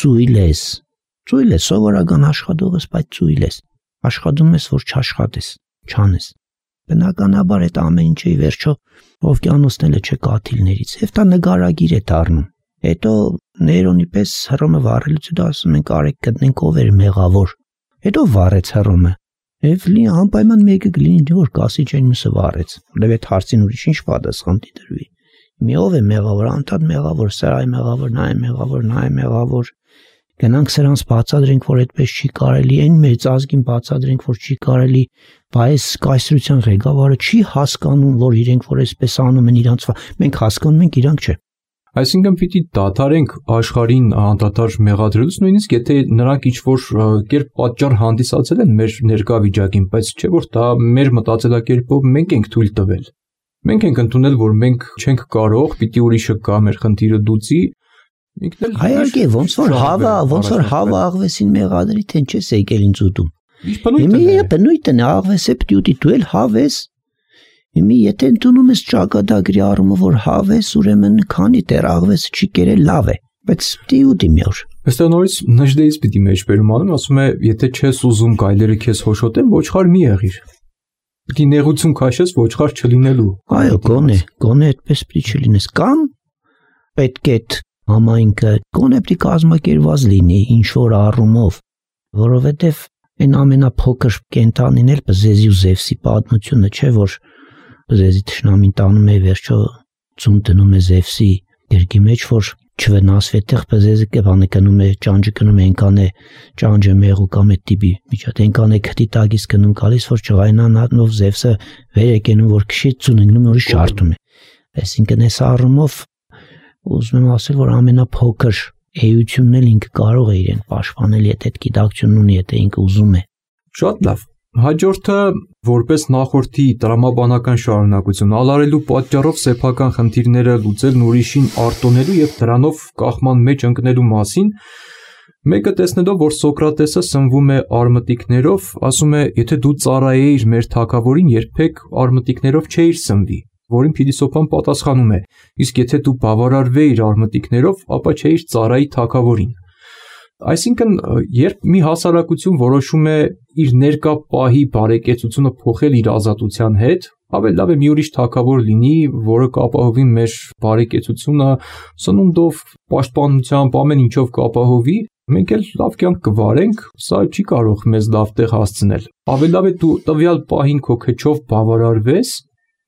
ծույլ ես, ծույլ ես, սովորական աշխատող ես, բայց ծույլ ես, աշխատում ես, որ չաշխատես, չանես։ Բնականաբար այդ ամեն ինչը ի վերջո օվկիանոսները չէ կաթիլներից, եւ դա նկարագիր է դառնում։ Հետո նեյրոնի պես հռոմը վառելուց հետո ասում ենք արեք գտնենք ով էր մեղավոր։ Հետո վառեց հռոմը։ Եվ լի անպայման մեկը կլինի, որ կասի չեն մյուսը վառեց, որովհետև այդ հարցին ուրիշ ինչ պատասխան դիտրվի։ Մի ով է մեղավոր, անդադ մեղավոր, սա է մեղավոր, նա է մեղավոր, նա է մեղավոր։ Գնանք սրանց բացատրենք, որ այդպես չի կարելի, այն մեծ ազգին բացատրենք, որ չի կարելի, բայց կայսրության ղեկավարը չի հասկանում, որ իրենք որ այսպես անում են իրանց, մենք հասկանում ենք, իրանք չէ։ Այսինքն պիտի դադարենք աշխարհին անդադար մեղադրելուց, նույնիսկ եթե նրանք ինչ-որ կերպ պատճառ հանդիսացել են մեր ներկա վիճակին, բայց չէ որ դա մեր մտածելակերպով մենք ենք թույլ տվել։ Մենք ենք ընդունել, որ մենք չենք կարող, պիտի ուրիշը կա մեր խնդիրը դուցի, ինքն էլ հայարգե ոնց որ հավա, ոնց որ հավա աղվեսին մեղադրի, թե ինչես եկել ինձ ուտում։ Հիմա բնույթն է, աղվեսը պիտի ուտի, դու էլ հավես։ Հիմա եթե ընդունում ես ճակատագրի առումը, որ հավես, ուրեմն քանի դեռ աղվեսը չի կերել, լավ է, բայց պիտի ուտի մի օր։ Այստեղ նորից նժդեից պիտի մեջբերում անում, ասում է, եթե չես ուզում գայլերը քեզ հոշոտեն, ոչխար մի եղիր։ Պիտի նեղություն քաշես ոչխար չլինելու։ Այո, գոնե, գոնե այդպես պիտի չլինես, կամ պետք է համայնքը գոնե պիտի կազմակերպված լինի ինչ որ առումով, որովհետև այն ամենափոքր կենտանին էլ Բզեզի ու Զևսի պատմությունը չէ, որ Բզեզի թշնամին տանում է վերջո ծում դնում է Զևսի երկի մեջ, որ չվնասվի, այդտեղ Բզեզը կբանը գնում է, ճանճը գնում է, այնքան է ճանճը մեղու կամ այդ տիպի միջատ, այնքան է քթի տակից գնում գալիս, որ չղայնանալով Զևսը վեր է կենում, որ քշի ծուն ընկնում նորից շարթում է։ Այսինքն այս առումով ուզում եմ ասել, որ ամենափոքր էությունն էլ ինքը կարող է իրեն պաշտպանել, եթե այդ գիտակցությունն ունի, եթե ինքը ուզում է։ Շատ լավ։ Հաջորդը որպես նախորդի տրամաբանական շարունակություն ալարելու պատճառով սեփական խնդիրները լուծելն ուրիշին արտոնելու եւ դրանով կախման մեջ ընկնելու մասին մեկը տեսնելով, որ Սոկրատեսը սնվում է արմտիկներով, ասում է, եթե դու ծառայեիր մեր թագավորին, երբեք արմտիկներով չէիր սնվի, որին փիլիսոփան պատասխանում է, իսկ եթե դու բավարարվեիր արմտիկներով, ապա չէիր ծառայի թագավորին։ Այսինքն, երբ մի հասարակություն որոշում է իր ներկա պահի բարեկեցությունը փոխել իր ազատության հետ, ավելի լավ է մի ուրիշ թագավոր լինի, որը կապահովի մեր բարեկեցությունը սնունդով, պաշտպանությամբ, ամեն ինչով կապահովի, մենք էլ լավ կյանք կվարենք, սա չի կարող մեզ լավ տեղ հասցնել։ Ավելի լավ է դու տվյալ պահին քո քչով բավարարվես,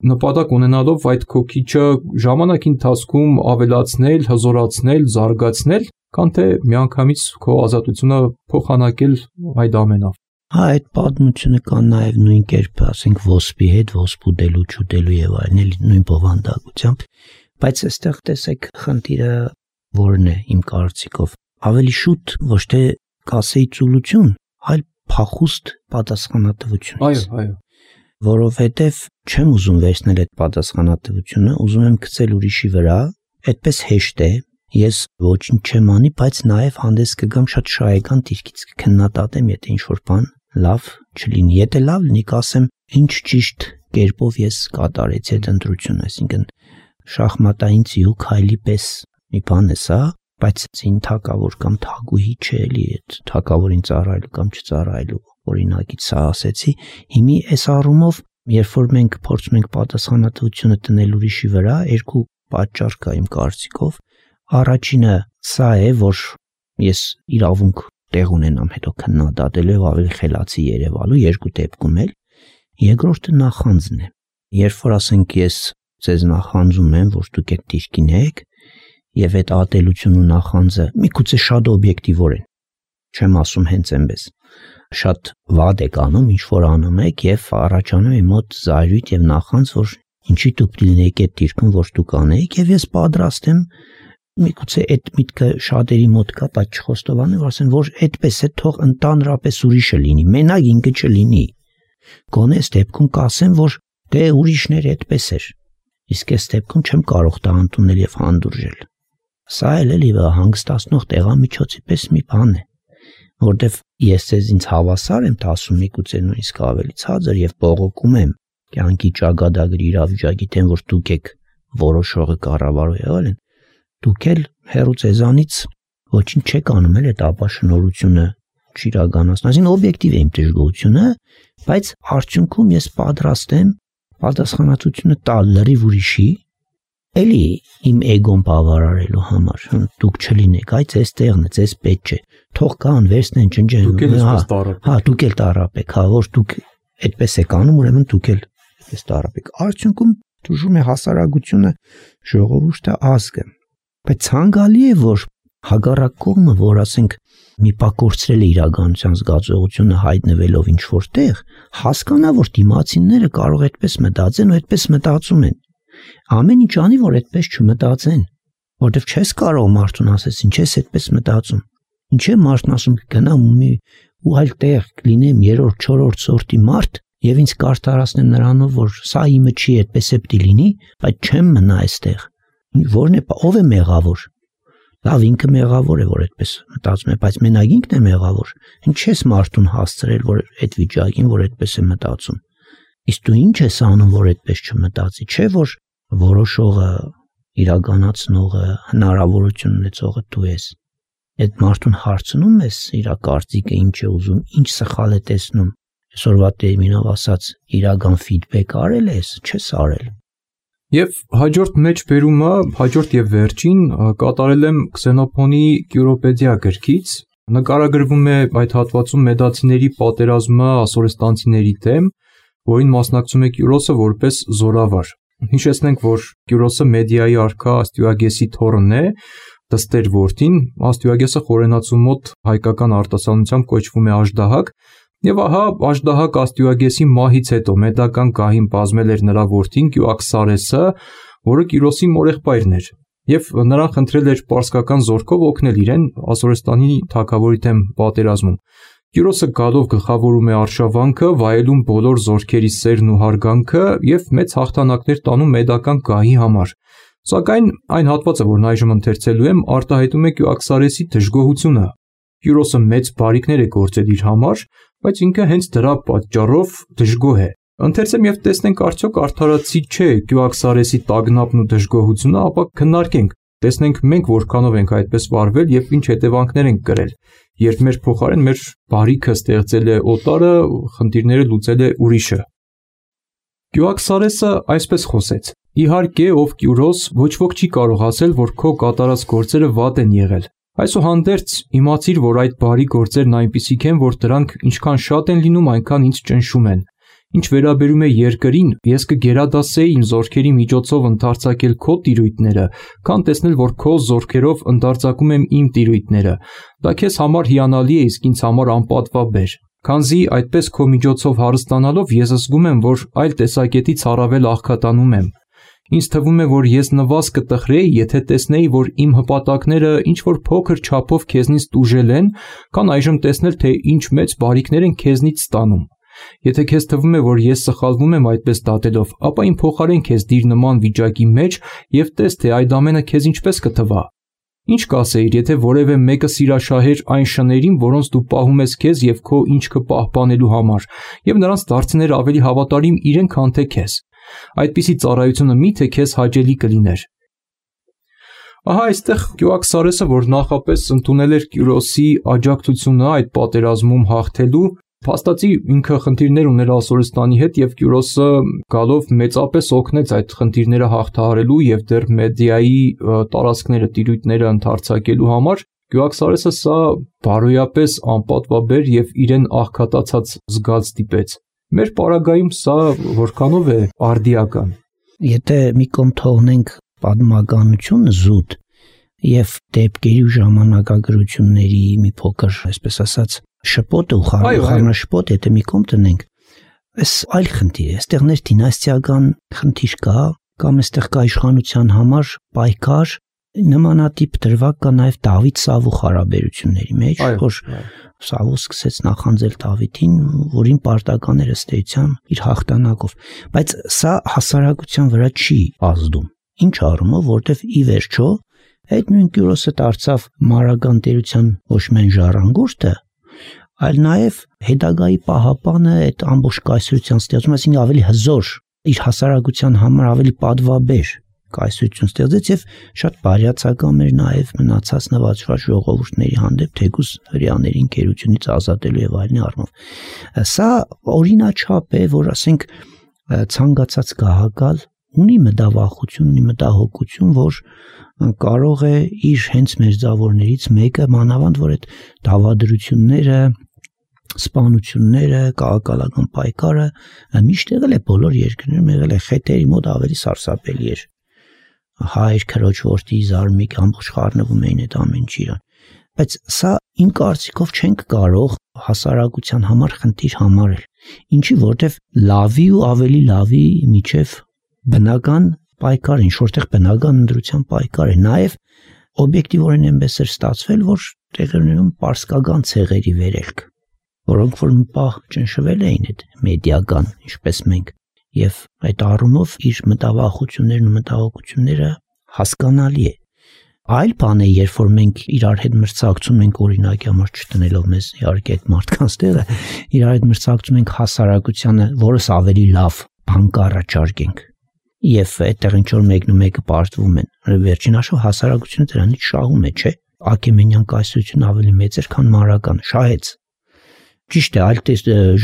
նպատակ ունենալով այդ քո քիչը ժամանակի ընթացքում ավելացնել, հզորացնել, զարգացնել, քան թե միանգամից քո ազատությունը փոխանակել այդ ամենով։ Հա, այդ պատմությունը կա նաև նույն կերպ, ասենք ոսպի հետ, ոսպ ուտելու, չուտելու եւ այլն, նույն բովանդակությամբ, բայց այստեղ տեսեք խնդիրը որն է իմ կարծիքով։ Ավելի շուտ ոչ թե կասեի ծուլություն, այլ փախուստ պատասխանատվություն։ Այո, այո։ Որովհետև չեմ ուզում վերցնել այդ պատասխանատվությունը, ուզում եմ գցել ուրիշի վրա, այդպես հեշտ է, ես ոչինչ չեմ անի, բայց նաև հանդես կգամ շատ շահեկան դիրքից կքննադատեմ, եթե ինչ-որ բան լավ չլինի։ Եթե լավ լինի, կասեմ ինչ ճիշտ կերպով ես կատարեցի այդ ընտրությունը, այսինքն շախմատային ձիու քայլի պես մի բան է սա, բայց ցին թակավոր կամ թագուհի չէ էլի, այդ թակավորին ծառայելու կամ չծառայելու օրինակից սա ասեցի։ Հիմի այս առումով, երբ որ մենք փորձում ենք պատասխանատվությունը դնել ուրիշի վրա, երկու պատճառ կա իմ կարծիքով։ Առաջինը սա է, որ ես իրավունք տեղ ունենամ հետո քննադատելու եւ ավելի խելացի երևալու երկու դեպքում էլ։ Երկրորդը նախանձն է։ Երբ որ ասենք ես ձեզ նախանձում եմ, որ դուք այդ դիրքին եք, եւ այդ ատելությունը ու նախանձը միգուցե շատ օբյեկտիվորեն, չեմ ասում հենց այնպես, շատ վատ եք անում, ինչ որ անում եք եւ առաջանում է մոտ զայրույթ եւ նախանձ, որ ինչի դուք լինեք այդ դիրքում, որ դուք անեք, եւ ես պատրաստ եմ միգուցե այդ միտքը շատերի մոտ կա, բայց չխոստովանում, որ ասեն, որ այդպես է, թող ընդհանրապես ուրիշը լինի, մենակ ինքը չլինի։ Գոնե այս դեպքում կասեմ, որ դե ուրիշներ այդպես էր, իսկ այս դեպքում չեմ կարող դա ընդունել եւ հանդուրժել։ Սա էլ էլի հանգստացնող տեղամիջոցի պես մի բան է, որտեվ ես ձեզ ինձ հավասար եմ ասում, միգուցե նույնիսկ ավելի ցածր եւ բողոքում եմ կյանքի ճակատագրի իրավիճակի դեմ, որ դուք եք որոշողը կառավարող եղել են, դուք էլ հերո ձեզանից ոչինչ չեք անում էլ այդ ապաշնորհությունը չիրականացնել, այսինքն օբյեկտիվ է իմ դժգոհությունը, բայց արդյունքում ես պատրաստ եմ պատասխանատվությունը տալ լրիվ ուրիշի, էլի իմ էգոն բավարարելու համար, դուք չլինեք, այ ձեզ տեղն է, ձեզ պետք չէ, թող կան, վերցնեն, ջնջեն, հա, դուք էլ տարապեք, հա, որ դուք այդպես եք անում, ուրեմն դուք էլ այդպես տարապեք։ Արդյունքում դժում է հասարակությունը, ժողովուրդը, ազգը, բայց ցանկալի է, որ հակառակ կողմը, որ ասենք մի պա կորցրել է իրականության զգացողությունը հայտնվելով ինչ-որ տեղ, հասկանա, որ դիմացինները կարող այդպես մտածեն ու այդպես մտածում են։ Ամեն ինչ անի, որ այդպես չմտածեն, որովհետև չես կարող մարդուն ասես, ինչ ես այդպես մտածում։ Ինչ է մարդն ասում, գնամ ու մի ու այլ տեղ կլինեմ երրորդ, չորրորդ սորտի մարդ եւ ինձ կարտարացնեմ նրանով, որ սա իմը չի, այդպես է պիտի լինի, բայց չեմ մնա այստեղ։ Որն է, ով է մեղավոր։ Լավ, ինքը մեղավոր է, որ այդպես մտածում է, բայց մենակ ինքն է մեղավոր։ Ինչ ես մարդուն հասցրել, որ այդ վիճակին, որ այդպես է մտածում։ Իսկ դու ինչ ես անում, որ այդպես չմտածի, չէ՞ որ որոշողը, իրականացնողը, հնարավորություն ունեցողը դու ես։ Այդ մարդուն հարցնում ես իր կարծիքը ինչ է ուզում, ինչ սխալ է տեսնում։ Այսօրվա տերմինով ասած, իրական ֆիդբեք արել ես, չես արել։ Եվ հաջորդ մեջ բերումը, հաջորդ եւ վերջին կատարել եմ Քսենոփոնի Կյուրոպեդիա գրքից, նկարագրվում է այդ հատվածում մեդացիների պատերազմը ասորեստանցիների դեմ, որին մասնակցում է Կյուրոսը որպես զորավար։ Հիշեցնենք, որ Կյուրոսը Մեդիայի արքա Աստյուագեսի թոռն է, դստեր որդին, Աստյուագեսը խորենացու մոտ հայկական արտասանությամբ կոչվում է Աժդահակ, եւ ահա Աժդահակ Աստյուագեսի մահից հետո մեդական գահին բազմել էր նրա որդին Կյուաքսարեսը, որը Կյուրոսի մորեղբայրն էր, եւ նրան խնդրել էր պարսկական զորքով օգնել իրեն Ասորեստանի թագավորի դեմ պատերազմում։ Կյուրոսը գալով գլխավորում է արշավանքը, վայելում բոլոր զորքերի սերն ու հարգանքը եւ մեծ հաղթանակներ տանում մեդական գահի համար։ Սակայն այն հատվածը, որն այժմ ընթերցելու եմ, արտահայտում է Կյուաքսարեսի դժգոհությունը։ Կյուրոսը մեծ բարիքներ է գործել իր համար, բայց ինքը հենց դրա պատճառով դժգոհ է։ Ընթերցեմ եւ տեսնենք արդյոք արդարացի չէ Կյուաքսարեսի տագնապն ու դժգոհությունը, ապա քննարկենք, տեսնենք մենք որքանով ենք այդպես վարվել եւ ինչ հետևանքներ ենք կրել, երբ մեր փոխարեն մեր բարիքը ստեղծել է օտարը, խնդիրները լուծել է ուրիշը։ Կյուաքսարեսը այսպես խոսեց. Իհարկե, ով Կյուրոս, ոչ ոք չի կարող ասել, որ քո կատարած գործերը վատ են եղել։ Այսուհանդերձ իմացիր, որ այդ բարի գործերն այնպիսիք են, որ դրանք ինչքան շատ են լինում, այնքան ինձ ճնշում են։ Ինչ վերաբերում է երկրին, ես կգերադասեի իմ զորքերի միջոցով ընդարձակել քո տիրույթները, քան տեսնել, որ քո զորքերով ընդարձակում եմ իմ տիրույթները։ Դա քեզ համար հիանալի է, իսկ ինձ համար անպատվաբեր։ Քանզի այդպես քո միջոցով հարստանալով ես զգում եմ, որ այլ տեսակետից առավել աղքատանում եմ։ Ինձ թվում է, որ ես նվազ կտխրեի, եթե տեսնեի, որ իմ հպատակները ինչ որ փոքր չափով քեզնից տուժել են, քան այժմ տեսնել, թե ինչ մեծ բարիքներ են քեզնից ստանում։ Եթե քեզ թվում է, որ ես սխալվում եմ այդպես դատելով, ապա իմ փոխարեն քեզ դիր նման վիճակի մեջ եւ տես, թե այդ ամենը քեզ ինչպես կթվա։ Ինչ կասեիր, եթե որևէ մեկը սիրաշահեր այն շներին, որոնց դու պահում ես քեզ եւ քո ինչքը պահպանելու համար, եւ նրանց դարձներ ավելի հավատարիմ իրեն, քան թե քեզ։ Այդպիսի ծառայությունը միթե քեզ հաճելի կլիներ։ Ահա այստեղ Կյոաքսարեսը, որ նախապես ընդունել էր Կյուրոսի աջակցությունը այդ պատերազմում հաղթելու, փաստացի ինքը խնդիրներ ուներ Ասորստանի հետ եւ Կյուրոսը գալով մեծապես օգնեց այդ խնդիրները հաղթահարելու եւ դեռ Մեդիայի տարածքները, տիրույթները ընդարձակելու համար։ Կյոաքսարեսը սա բարոյապես անպատվաբեր եւ իրեն աղքատացած զգաց դիպեց։ Մեր պարագայում սա որքանով է արդիական։ Եթե մի կողմ թողնենք պատմականությունը զուտ եւ դեպքերի ու ժամանակագրությունների մի փոքր, այսպես ասած, շփոթը ու խառնաշփոթ, եթե մի կողմ տնենք, այս այլ խնդիր է, այստեղ ներդինաստիական խնդիր կա, կամ այստեղ կա իշխանության համար պայքար, նմանատիպ դրվագ կա նաև Դավիթ Սավուխ հարաբերությունների մեջ, որ Սավուխ սկսեց նախանձել Դավիթին, որին պարտական էր ըստ էության իր հաղթանակով, բայց սա հասարակության վրա չի ազդում։ Ինչ առումով, որտեվ ի վերջո այդ նույն Կյուրոսը դարձավ մարական տերության ոչ միայն ժառանգորդը, այլ նաև հետագայի պահապանը այդ ամբողջ կայսրության ստեղծում, այսինքն ավելի հզոր, իր հասարակության համար ավելի պատվաբեր կայսրություն ստեղծեց եւ շատ բարյացակամ էր նաև մնացած նվաճված ժողովուրդների հանդեպ, թեկուզ հրեաների ընկերությունից ազատելու եւ այլն առումով։ Սա օրինաչափ է, որ ասենք ցանկացած գահակալ ունի մտավախություն, ունի մտահոգություն, որ կարող է իր հենց մերձավորներից մեկը, մանավանդ որ այդ դավադրությունները, սպանությունները, քաղաքական պայքարը միշտ եղել է բոլոր երկրներում, եղել է խետերի մոտ ավելի սարսափելի էր։ Հայր, քրոջ, որդի, զարմիկ, ամբողջ խառնվում էին այդ ամեն ինչը իրան։ Բայց սա իմ կարծիքով չենք կարող հասարակության համար խնդիր համարել։ Ինչի, որտեվ լավի ու ավելի լավի միջև բնական պայքար, ինչ որտեղ բնական ընդրության պայքար է, նաև օբյեկտիվորեն այնպես էր ստացվել, որ տեղերում պարսկական ցեղերի վերելք, որոնք որ մի պահ ճնշվել էին այդ մեդիական, ինչպես մենք, եւ այդ առումով իր մտավախություններն ու մտահոգությունները հասկանալի է։ Այլ բան է, երբ որ մենք իրար հետ մրցակցում ենք, օրինակի համար չտնելով մեզ իհարկե այդ մարդկանց տեղը, իրար հետ մրցակցում ենք հասարակությանը, որս ավելի լավ բան կառաջարկենք։ Եվ այդտեղ ինչ որ մեկն ու մեկը պարտվում են։ Վերջին հաշվով հասարակությունը դրանից շահում է, չէ՞։ Աքեմենյան կայսրությունը ավելի մեծ էր, քան մարական, շահեց։ Ճիշտ է, այլ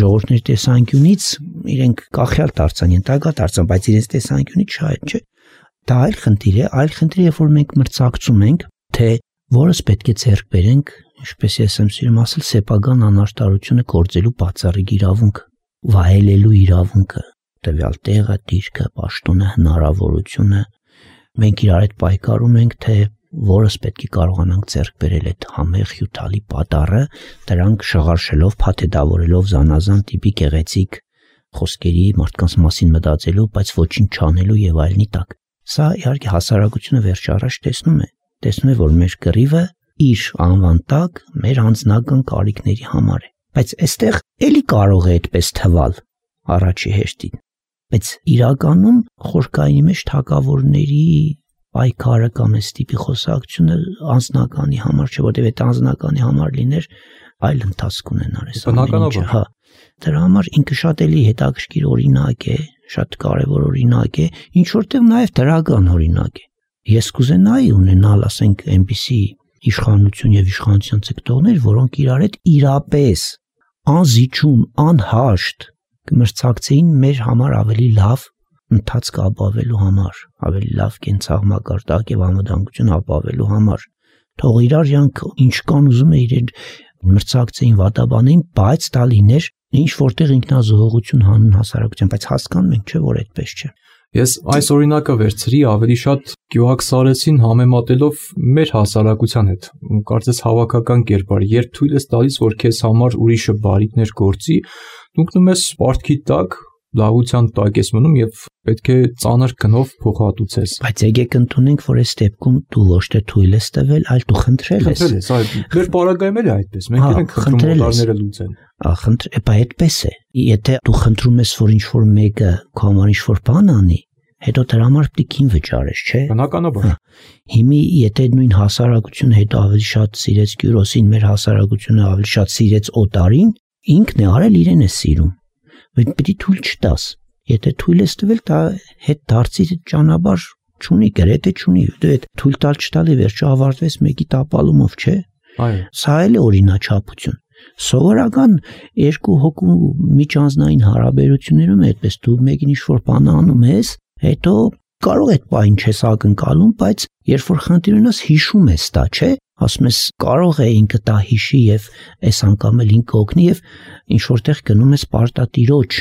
ժողովուրդների տեսանկյունից իրենք կախյալ դարձան, ենթակա դարձան, բայց իրենց տեսանկյունից շահեց, չէ՞։ Դա այլ խնդիր է, այլ խնդիր է, երբ որ մենք մրցակցում ենք, թե որս պետք է ձեռք բերենք, ինչպես ես եմ սիրում ասել, սեփական անարտարությունը գործելու բացառիկ իրավունքը, վայելելու իրավունքը, տվյալ տեղը, դիրքը, պաշտոնը, հնարավորությունը։ Մենք իրար հետ պայքարում ենք, թե որս պետք է կարողանանք ձեռք բերել այդ համեղ հյութալի պատառը, դրանք շղարշելով, փաթեթավորելով զանազան տիպի գեղեցիկ խոսքերի, մարդկանց մասին մտածելու, բայց ոչինչ չանելու եւ այլնի տակ։ Սա իհարկե հասարակությունը վերջ առաջ տեսնում է, տեսնում է, որ մեր կռիվը իր անվան տակ մեր անձնական կարիքների համար է, բայց այստեղ էլի կարող է այդպես թվալ առաջի հերթին, բայց իրականում խորքային մեջ թակավորների պայքարը կամ այս տիպի խոսակցությունը անձնականի համար չէ, որտեղ այդ անձնականի համար լիներ այլ ընթացք ունենար այս ամենը, հա։ Դրա համար ինքը շատ էլի հետաքրքիր օրինակ է, շատ կարևոր օրինակ է, ինչ որտեղ նաև դրական օրինակ է։ Ես կուզենայի ունենալ, ասենք, այնպիսի իշխանություն եւ իշխանության ցկտողներ, որոնք իրար հետ իրապես անզիջում, անհաշտ կմրցակցեին մեր համար ավելի լավ ընթացք ապավելու համար, ավելի լավ կենցաղմակարդակ եւ անվտանգություն ապավելու համար։ Թող իրար յանք ինչ կան ուզում է իրեն մրցակցեին, վատաբանեին, բայց դա լիներ ինչ որտեղ ինքնազոհողություն հանուն հասարակության, բայց հասկանում ենք, չէ, որ այդպես չէ։ Ես այս օրինակը վերցրի ավելի շատ Կյոաքսարեսին համեմատելով մեր հասարակության հետ։ Կարծես հավաքական կերպար, երբ թույլ ես տալիս, որ քեզ համար ուրիշը բարիքներ գործի, դու ընկնում ես պարտքի տակ, լավության տակ ես մնում եւ պետք է ծանր գնով փոխհատուցես։ Բայց եկեք ընդունենք, որ այս դեպքում դու ոչ թե թույլ ես տվել, այլ դու խնդրել ես։ Խնդրել ես, այլ մեր պարագայում էլ է այդպես։ Մենք ենք խնդրում օտարները լուծեն։ Ախնդր, էպա այդպես է։ Եթե դու խնդրում ես, որ ինչ որ մեկը քո համար ինչ որ բան անի, հետո դրա համար պետք է վճարես, չէ։ Բնականաբար։ Հիմի եթե նույն հասարակությունը հետո ավելի շատ սիրեց Կյուրոսին, մեր հասարակությունը ավելի շատ սիրեց Օտարին, ինքն է արել իրեն է սիրում։ Բայց պիտի թույլ չտաս։ Եթե թույլ ես տվել, դա հետ դարձի ճանապարհ չունի, գրեթե չունի։ Դու այդ թույլ տալ չտալի վերջը ավարտվեց մեկի տապալումով, չէ։ Այո։ Սա էլ է օրինաչափություն։ Սովորական երկու հոգու միջանձնային հարաբերություններում այդպես դու մեկին ինչ-որ բան անում ես, հետո կարող է այդ բանը չես ակնկալում, բայց երբ որ խնդիր ունես հիշում ես դա, չէ։ Ասում ես կարող է ինքը դա հիշի եւ այս անգամ էլ ինքը օգնի եւ ինչ որտեղ գնում ես պարտատիրոջ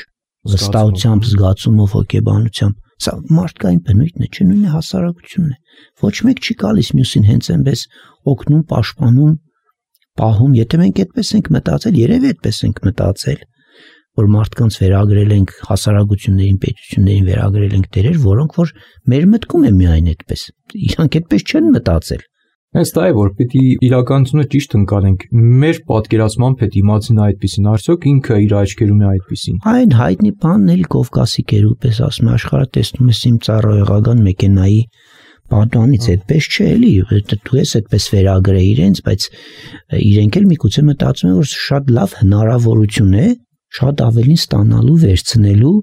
վստահությամբ, զգացումով, հոգեբանությամբ։ Սա մարդկային բնույթն է, չէ, նույնը հասարակությունն է։ Ոչ մեկ չի գալիս մյուսին հենց այնպես օգնում, պաշտպանում, պահում։ Եթե մենք այդպես ենք մտածել, երևի այդպես ենք մտածել, որ մարդկանց վերագրել ենք հասարակություններին, պետություններին վերագրել ենք դերեր, որոնք որ մեր մտքում է միայն այդպես։ Իրանք այդպես չեն մտածել։ Հենց դա է, որ պիտի իրականությունը ճիշտ ընկալենք։ Մեր պատկերացմամբ է դիմացին այդպեսին, արդյոք ինքը իր աչքերում է այդպեսին։ Այն հայտնի բանն էլ Կովկասի գերուպես ասում է, աշխարհը տեսնում ես իմ ծառայողական մեքենայի պատանից, այդպես չէ էլի, դու ես այդպես վերագրել իրենց, բայց իրենք էլ միգուցե մտածում են, որ շատ լավ հնարավորություն է շատ ավելին ստանալու, վերցնելու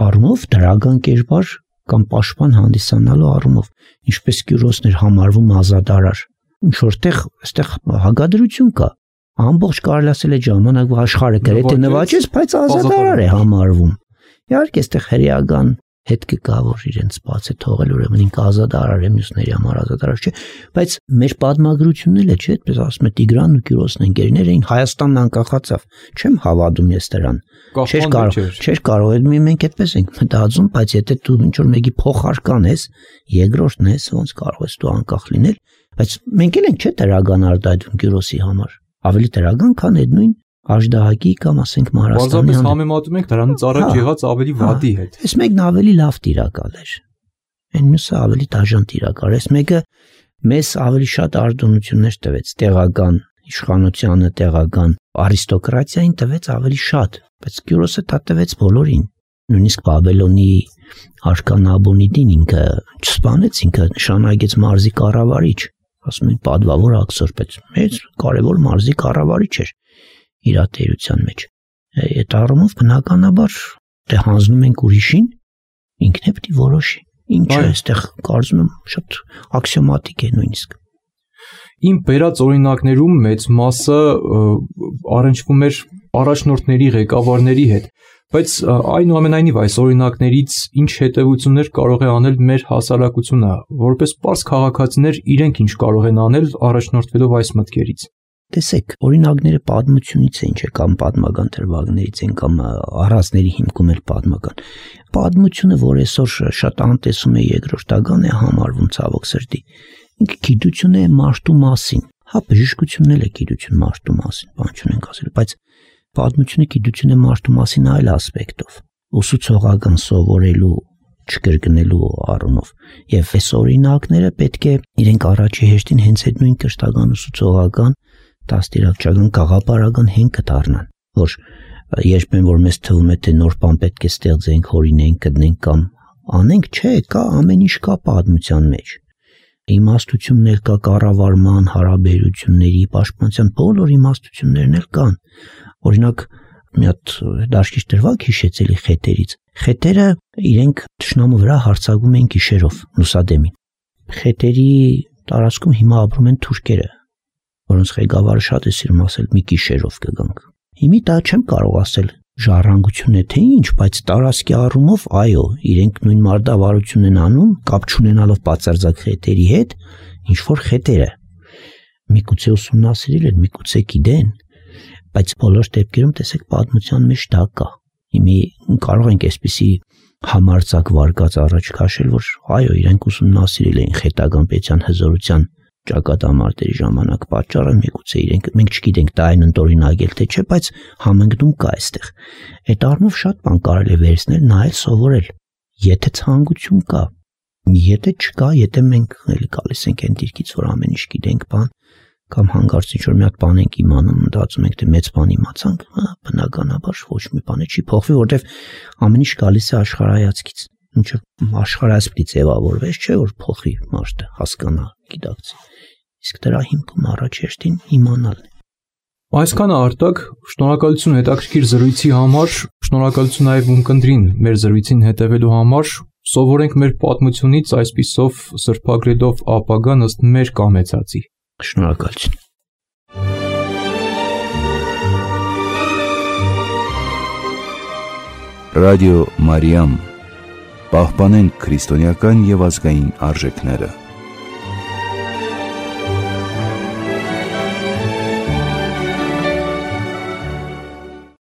առումով, դրական կերպար կամ պաշտպան հանդիսանալու առումով, ինչպես Կյուրոսն էր համարվում ազատարար։ Ինչ որտեղ այստեղ հակադրություն կա։ Ամբողջ կարելի ասել է ժամանակ աշխարհը գրեթե նվաճեց, բայց ազատարար է համարվում։ Իհարկե այստեղ հրեական հետ կգա, որ իրենց բաց է թողել, ուրեմն ինքը ազատարար է, մյուսների համար ազատարար չէ, բայց մեր պատմագրությունն էլ է, չէ, այդպես ասում է Տիգրանն ու Կյուրոսն ընկերներ էին, Հայաստանն անկախացավ։ Չեմ հավատում ես դրան։ Չէր կարող, չէր կարող, մենք այդպես ենք մտածում, բայց եթե դու ինչ որ մեկի փոխարքան ես, երկրորդն ես, ոնց կարող ես դու անկախ լինել, բայց մենք էլ ենք չէ դրական արտահայտվում Կյուրոսի համար։ Ավելի դրական, քան այդ նույն Աժդահակի կամ ասենք Մարաստանի։ Պարզապես համեմատում ենք դրանից առաջ եղած ավելի վատի հետ։ Այս մեկն ավելի լավ տիրակալ էր։ Այն մյուսը ավելի դաժան տիրակալ։ Այս մեկը մեզ ավելի շատ արտոնություններ տվեց, տեղական իշխանությանը, տեղական արիստոկրատիային տվեց ավելի շատ, բայց Կյուրոսը դա տվեց բոլորին։ Նույնիսկ Բաբելոնի արքան Աբոնիդին ինքը չսպանեց, ինքը նշանակեց մարզի կառավարիչ, ասում են պատվավոր աքսոր, բայց մեծ կարևոր մարզի կառավարիչ էր իր ատերության մեջ։ Այդ առումով բնականաբար դե հանձնում ենք ուրիշին, ինքն է պետք է որոշի։ Ինչը այստեղ կարծում եմ շատ աքսիոմատիկ է նույնիսկ։ Իմ բերած օրինակներում մեծ մասը առնչվում էր առաջնորդների, ղեկավարների հետ, բայց այնուամենայնիվ այս օրինակներից ինչ հետևություններ կարող է անել մեր հասարակությունը, որպես պարզ քաղաքացիներ իրենք ինչ կարող են անել առաջնորդվելով այս մտքերից։ Տեսեք, օրինակները պատմությունից են, չէ, կամ պատմական դրվագներից են, կամ առածների հիմքում էլ պատմական։ Պատմությունը, որ այսօր շատ անտեսում է երկրորդական է համարվում ցավոք սրտի, ինքը գիտություն է մարդու մասին։ Հա, բժշկությունն էլ է գիտություն մարդու մասին, բան չունենք ասել, բայց պատմությունը գիտություն է մարդու մասին այլ ասպեկտով, ուսուցողական սովորելու, չկրկնելու առումով։ Եվ այս օրինակները պետք է իրենք առաջի հերթին հենց այդ նույն կրթական ուսուցողական դաստիարակչական գաղափարական հենքը դառնան, որ երբեմն որ մեզ թվում է թե նոր բան պետք է ստեղծենք, հորինենք, գտնենք կամ անենք, չէ, կա ամեն ինչ կա պատմության մեջ։ Իմաստություններ կա, կառավարման, հարաբերությունների, պաշտպանության բոլոր իմաստություններն էլ կան։ Օրինակ, մի հատ դաշկիչ դրվագ հիշեցելի խետերից։ Խետերը իրենք թշնամու վրա հարձակվում են գիշերով, լուսադեմին։ Խետերի տարածքում հիմա ապրում են թուրքերը, որոնց ղեկավարը շատ է սիրում ասել մի գիշերով կգանք։ Հիմի դա չեմ կարող ասել ժառանգություն է թե ինչ, բայց տարածքի առումով այո, իրենք նույն մարտավարությունն են անում, կապ չունենալով բացարձակ խետերի հետ, ինչ որ խետերը միգուցե ուսումնասիրել են, միգուցե գիտեն, բայց բոլոր դեպքերում տեսեք պատմության մեջ դա կա։ Հիմի կարող ենք այսպիսի համարձակ վարկած առաջ քաշել, որ այո, իրենք ուսումնասիրել էին խետական պետության հզորության ճակատամարտերի ժամանակ պատճառը, միգուցե իրենք մենք չգիտենք դա այն ընդօրինակել թե չէ, բայց համընկնում կա այստեղ։ Այդ առումով շատ բան կարելի է վերցնել, նայել, սովորել։ Եթե ցանկություն կա, եթե չկա, եթե մենք էլի գալիս ենք այն դիրքից, որ ամեն ինչ գիտենք, բան կամ հանկարծ ինչ որ մի հատ բան ենք իմանում, մտածում ենք թե մեծ բան իմացանք, բնականաբար ոչ մի բան չի փոխվի, որովհետև ամեն ինչ գալիս է աշխարհայացքից։ ինչը աշխարհայացքի ձևավորվեց, չէ՞ որ փոխի մարդը, հասկանա, գիտակցի։ Իսկ դրա հիմքում առաջեշտին իմանալն է։ Այսքանը Արտակ, շնորհակալություն հետաքրքիր զրույցի համար, շնորհակալություն նաև ունկնդրին մեր զրույցին հետևելու համար, սովորենք մեր պատմությունից այսպիսով սրբագրելով ապագան ըստ մեր կամեցածի։ Շնորհակալություն։ Ռադիո Մարիամ, պահպանենք քրիստոնեական եւ ազգային արժեքները։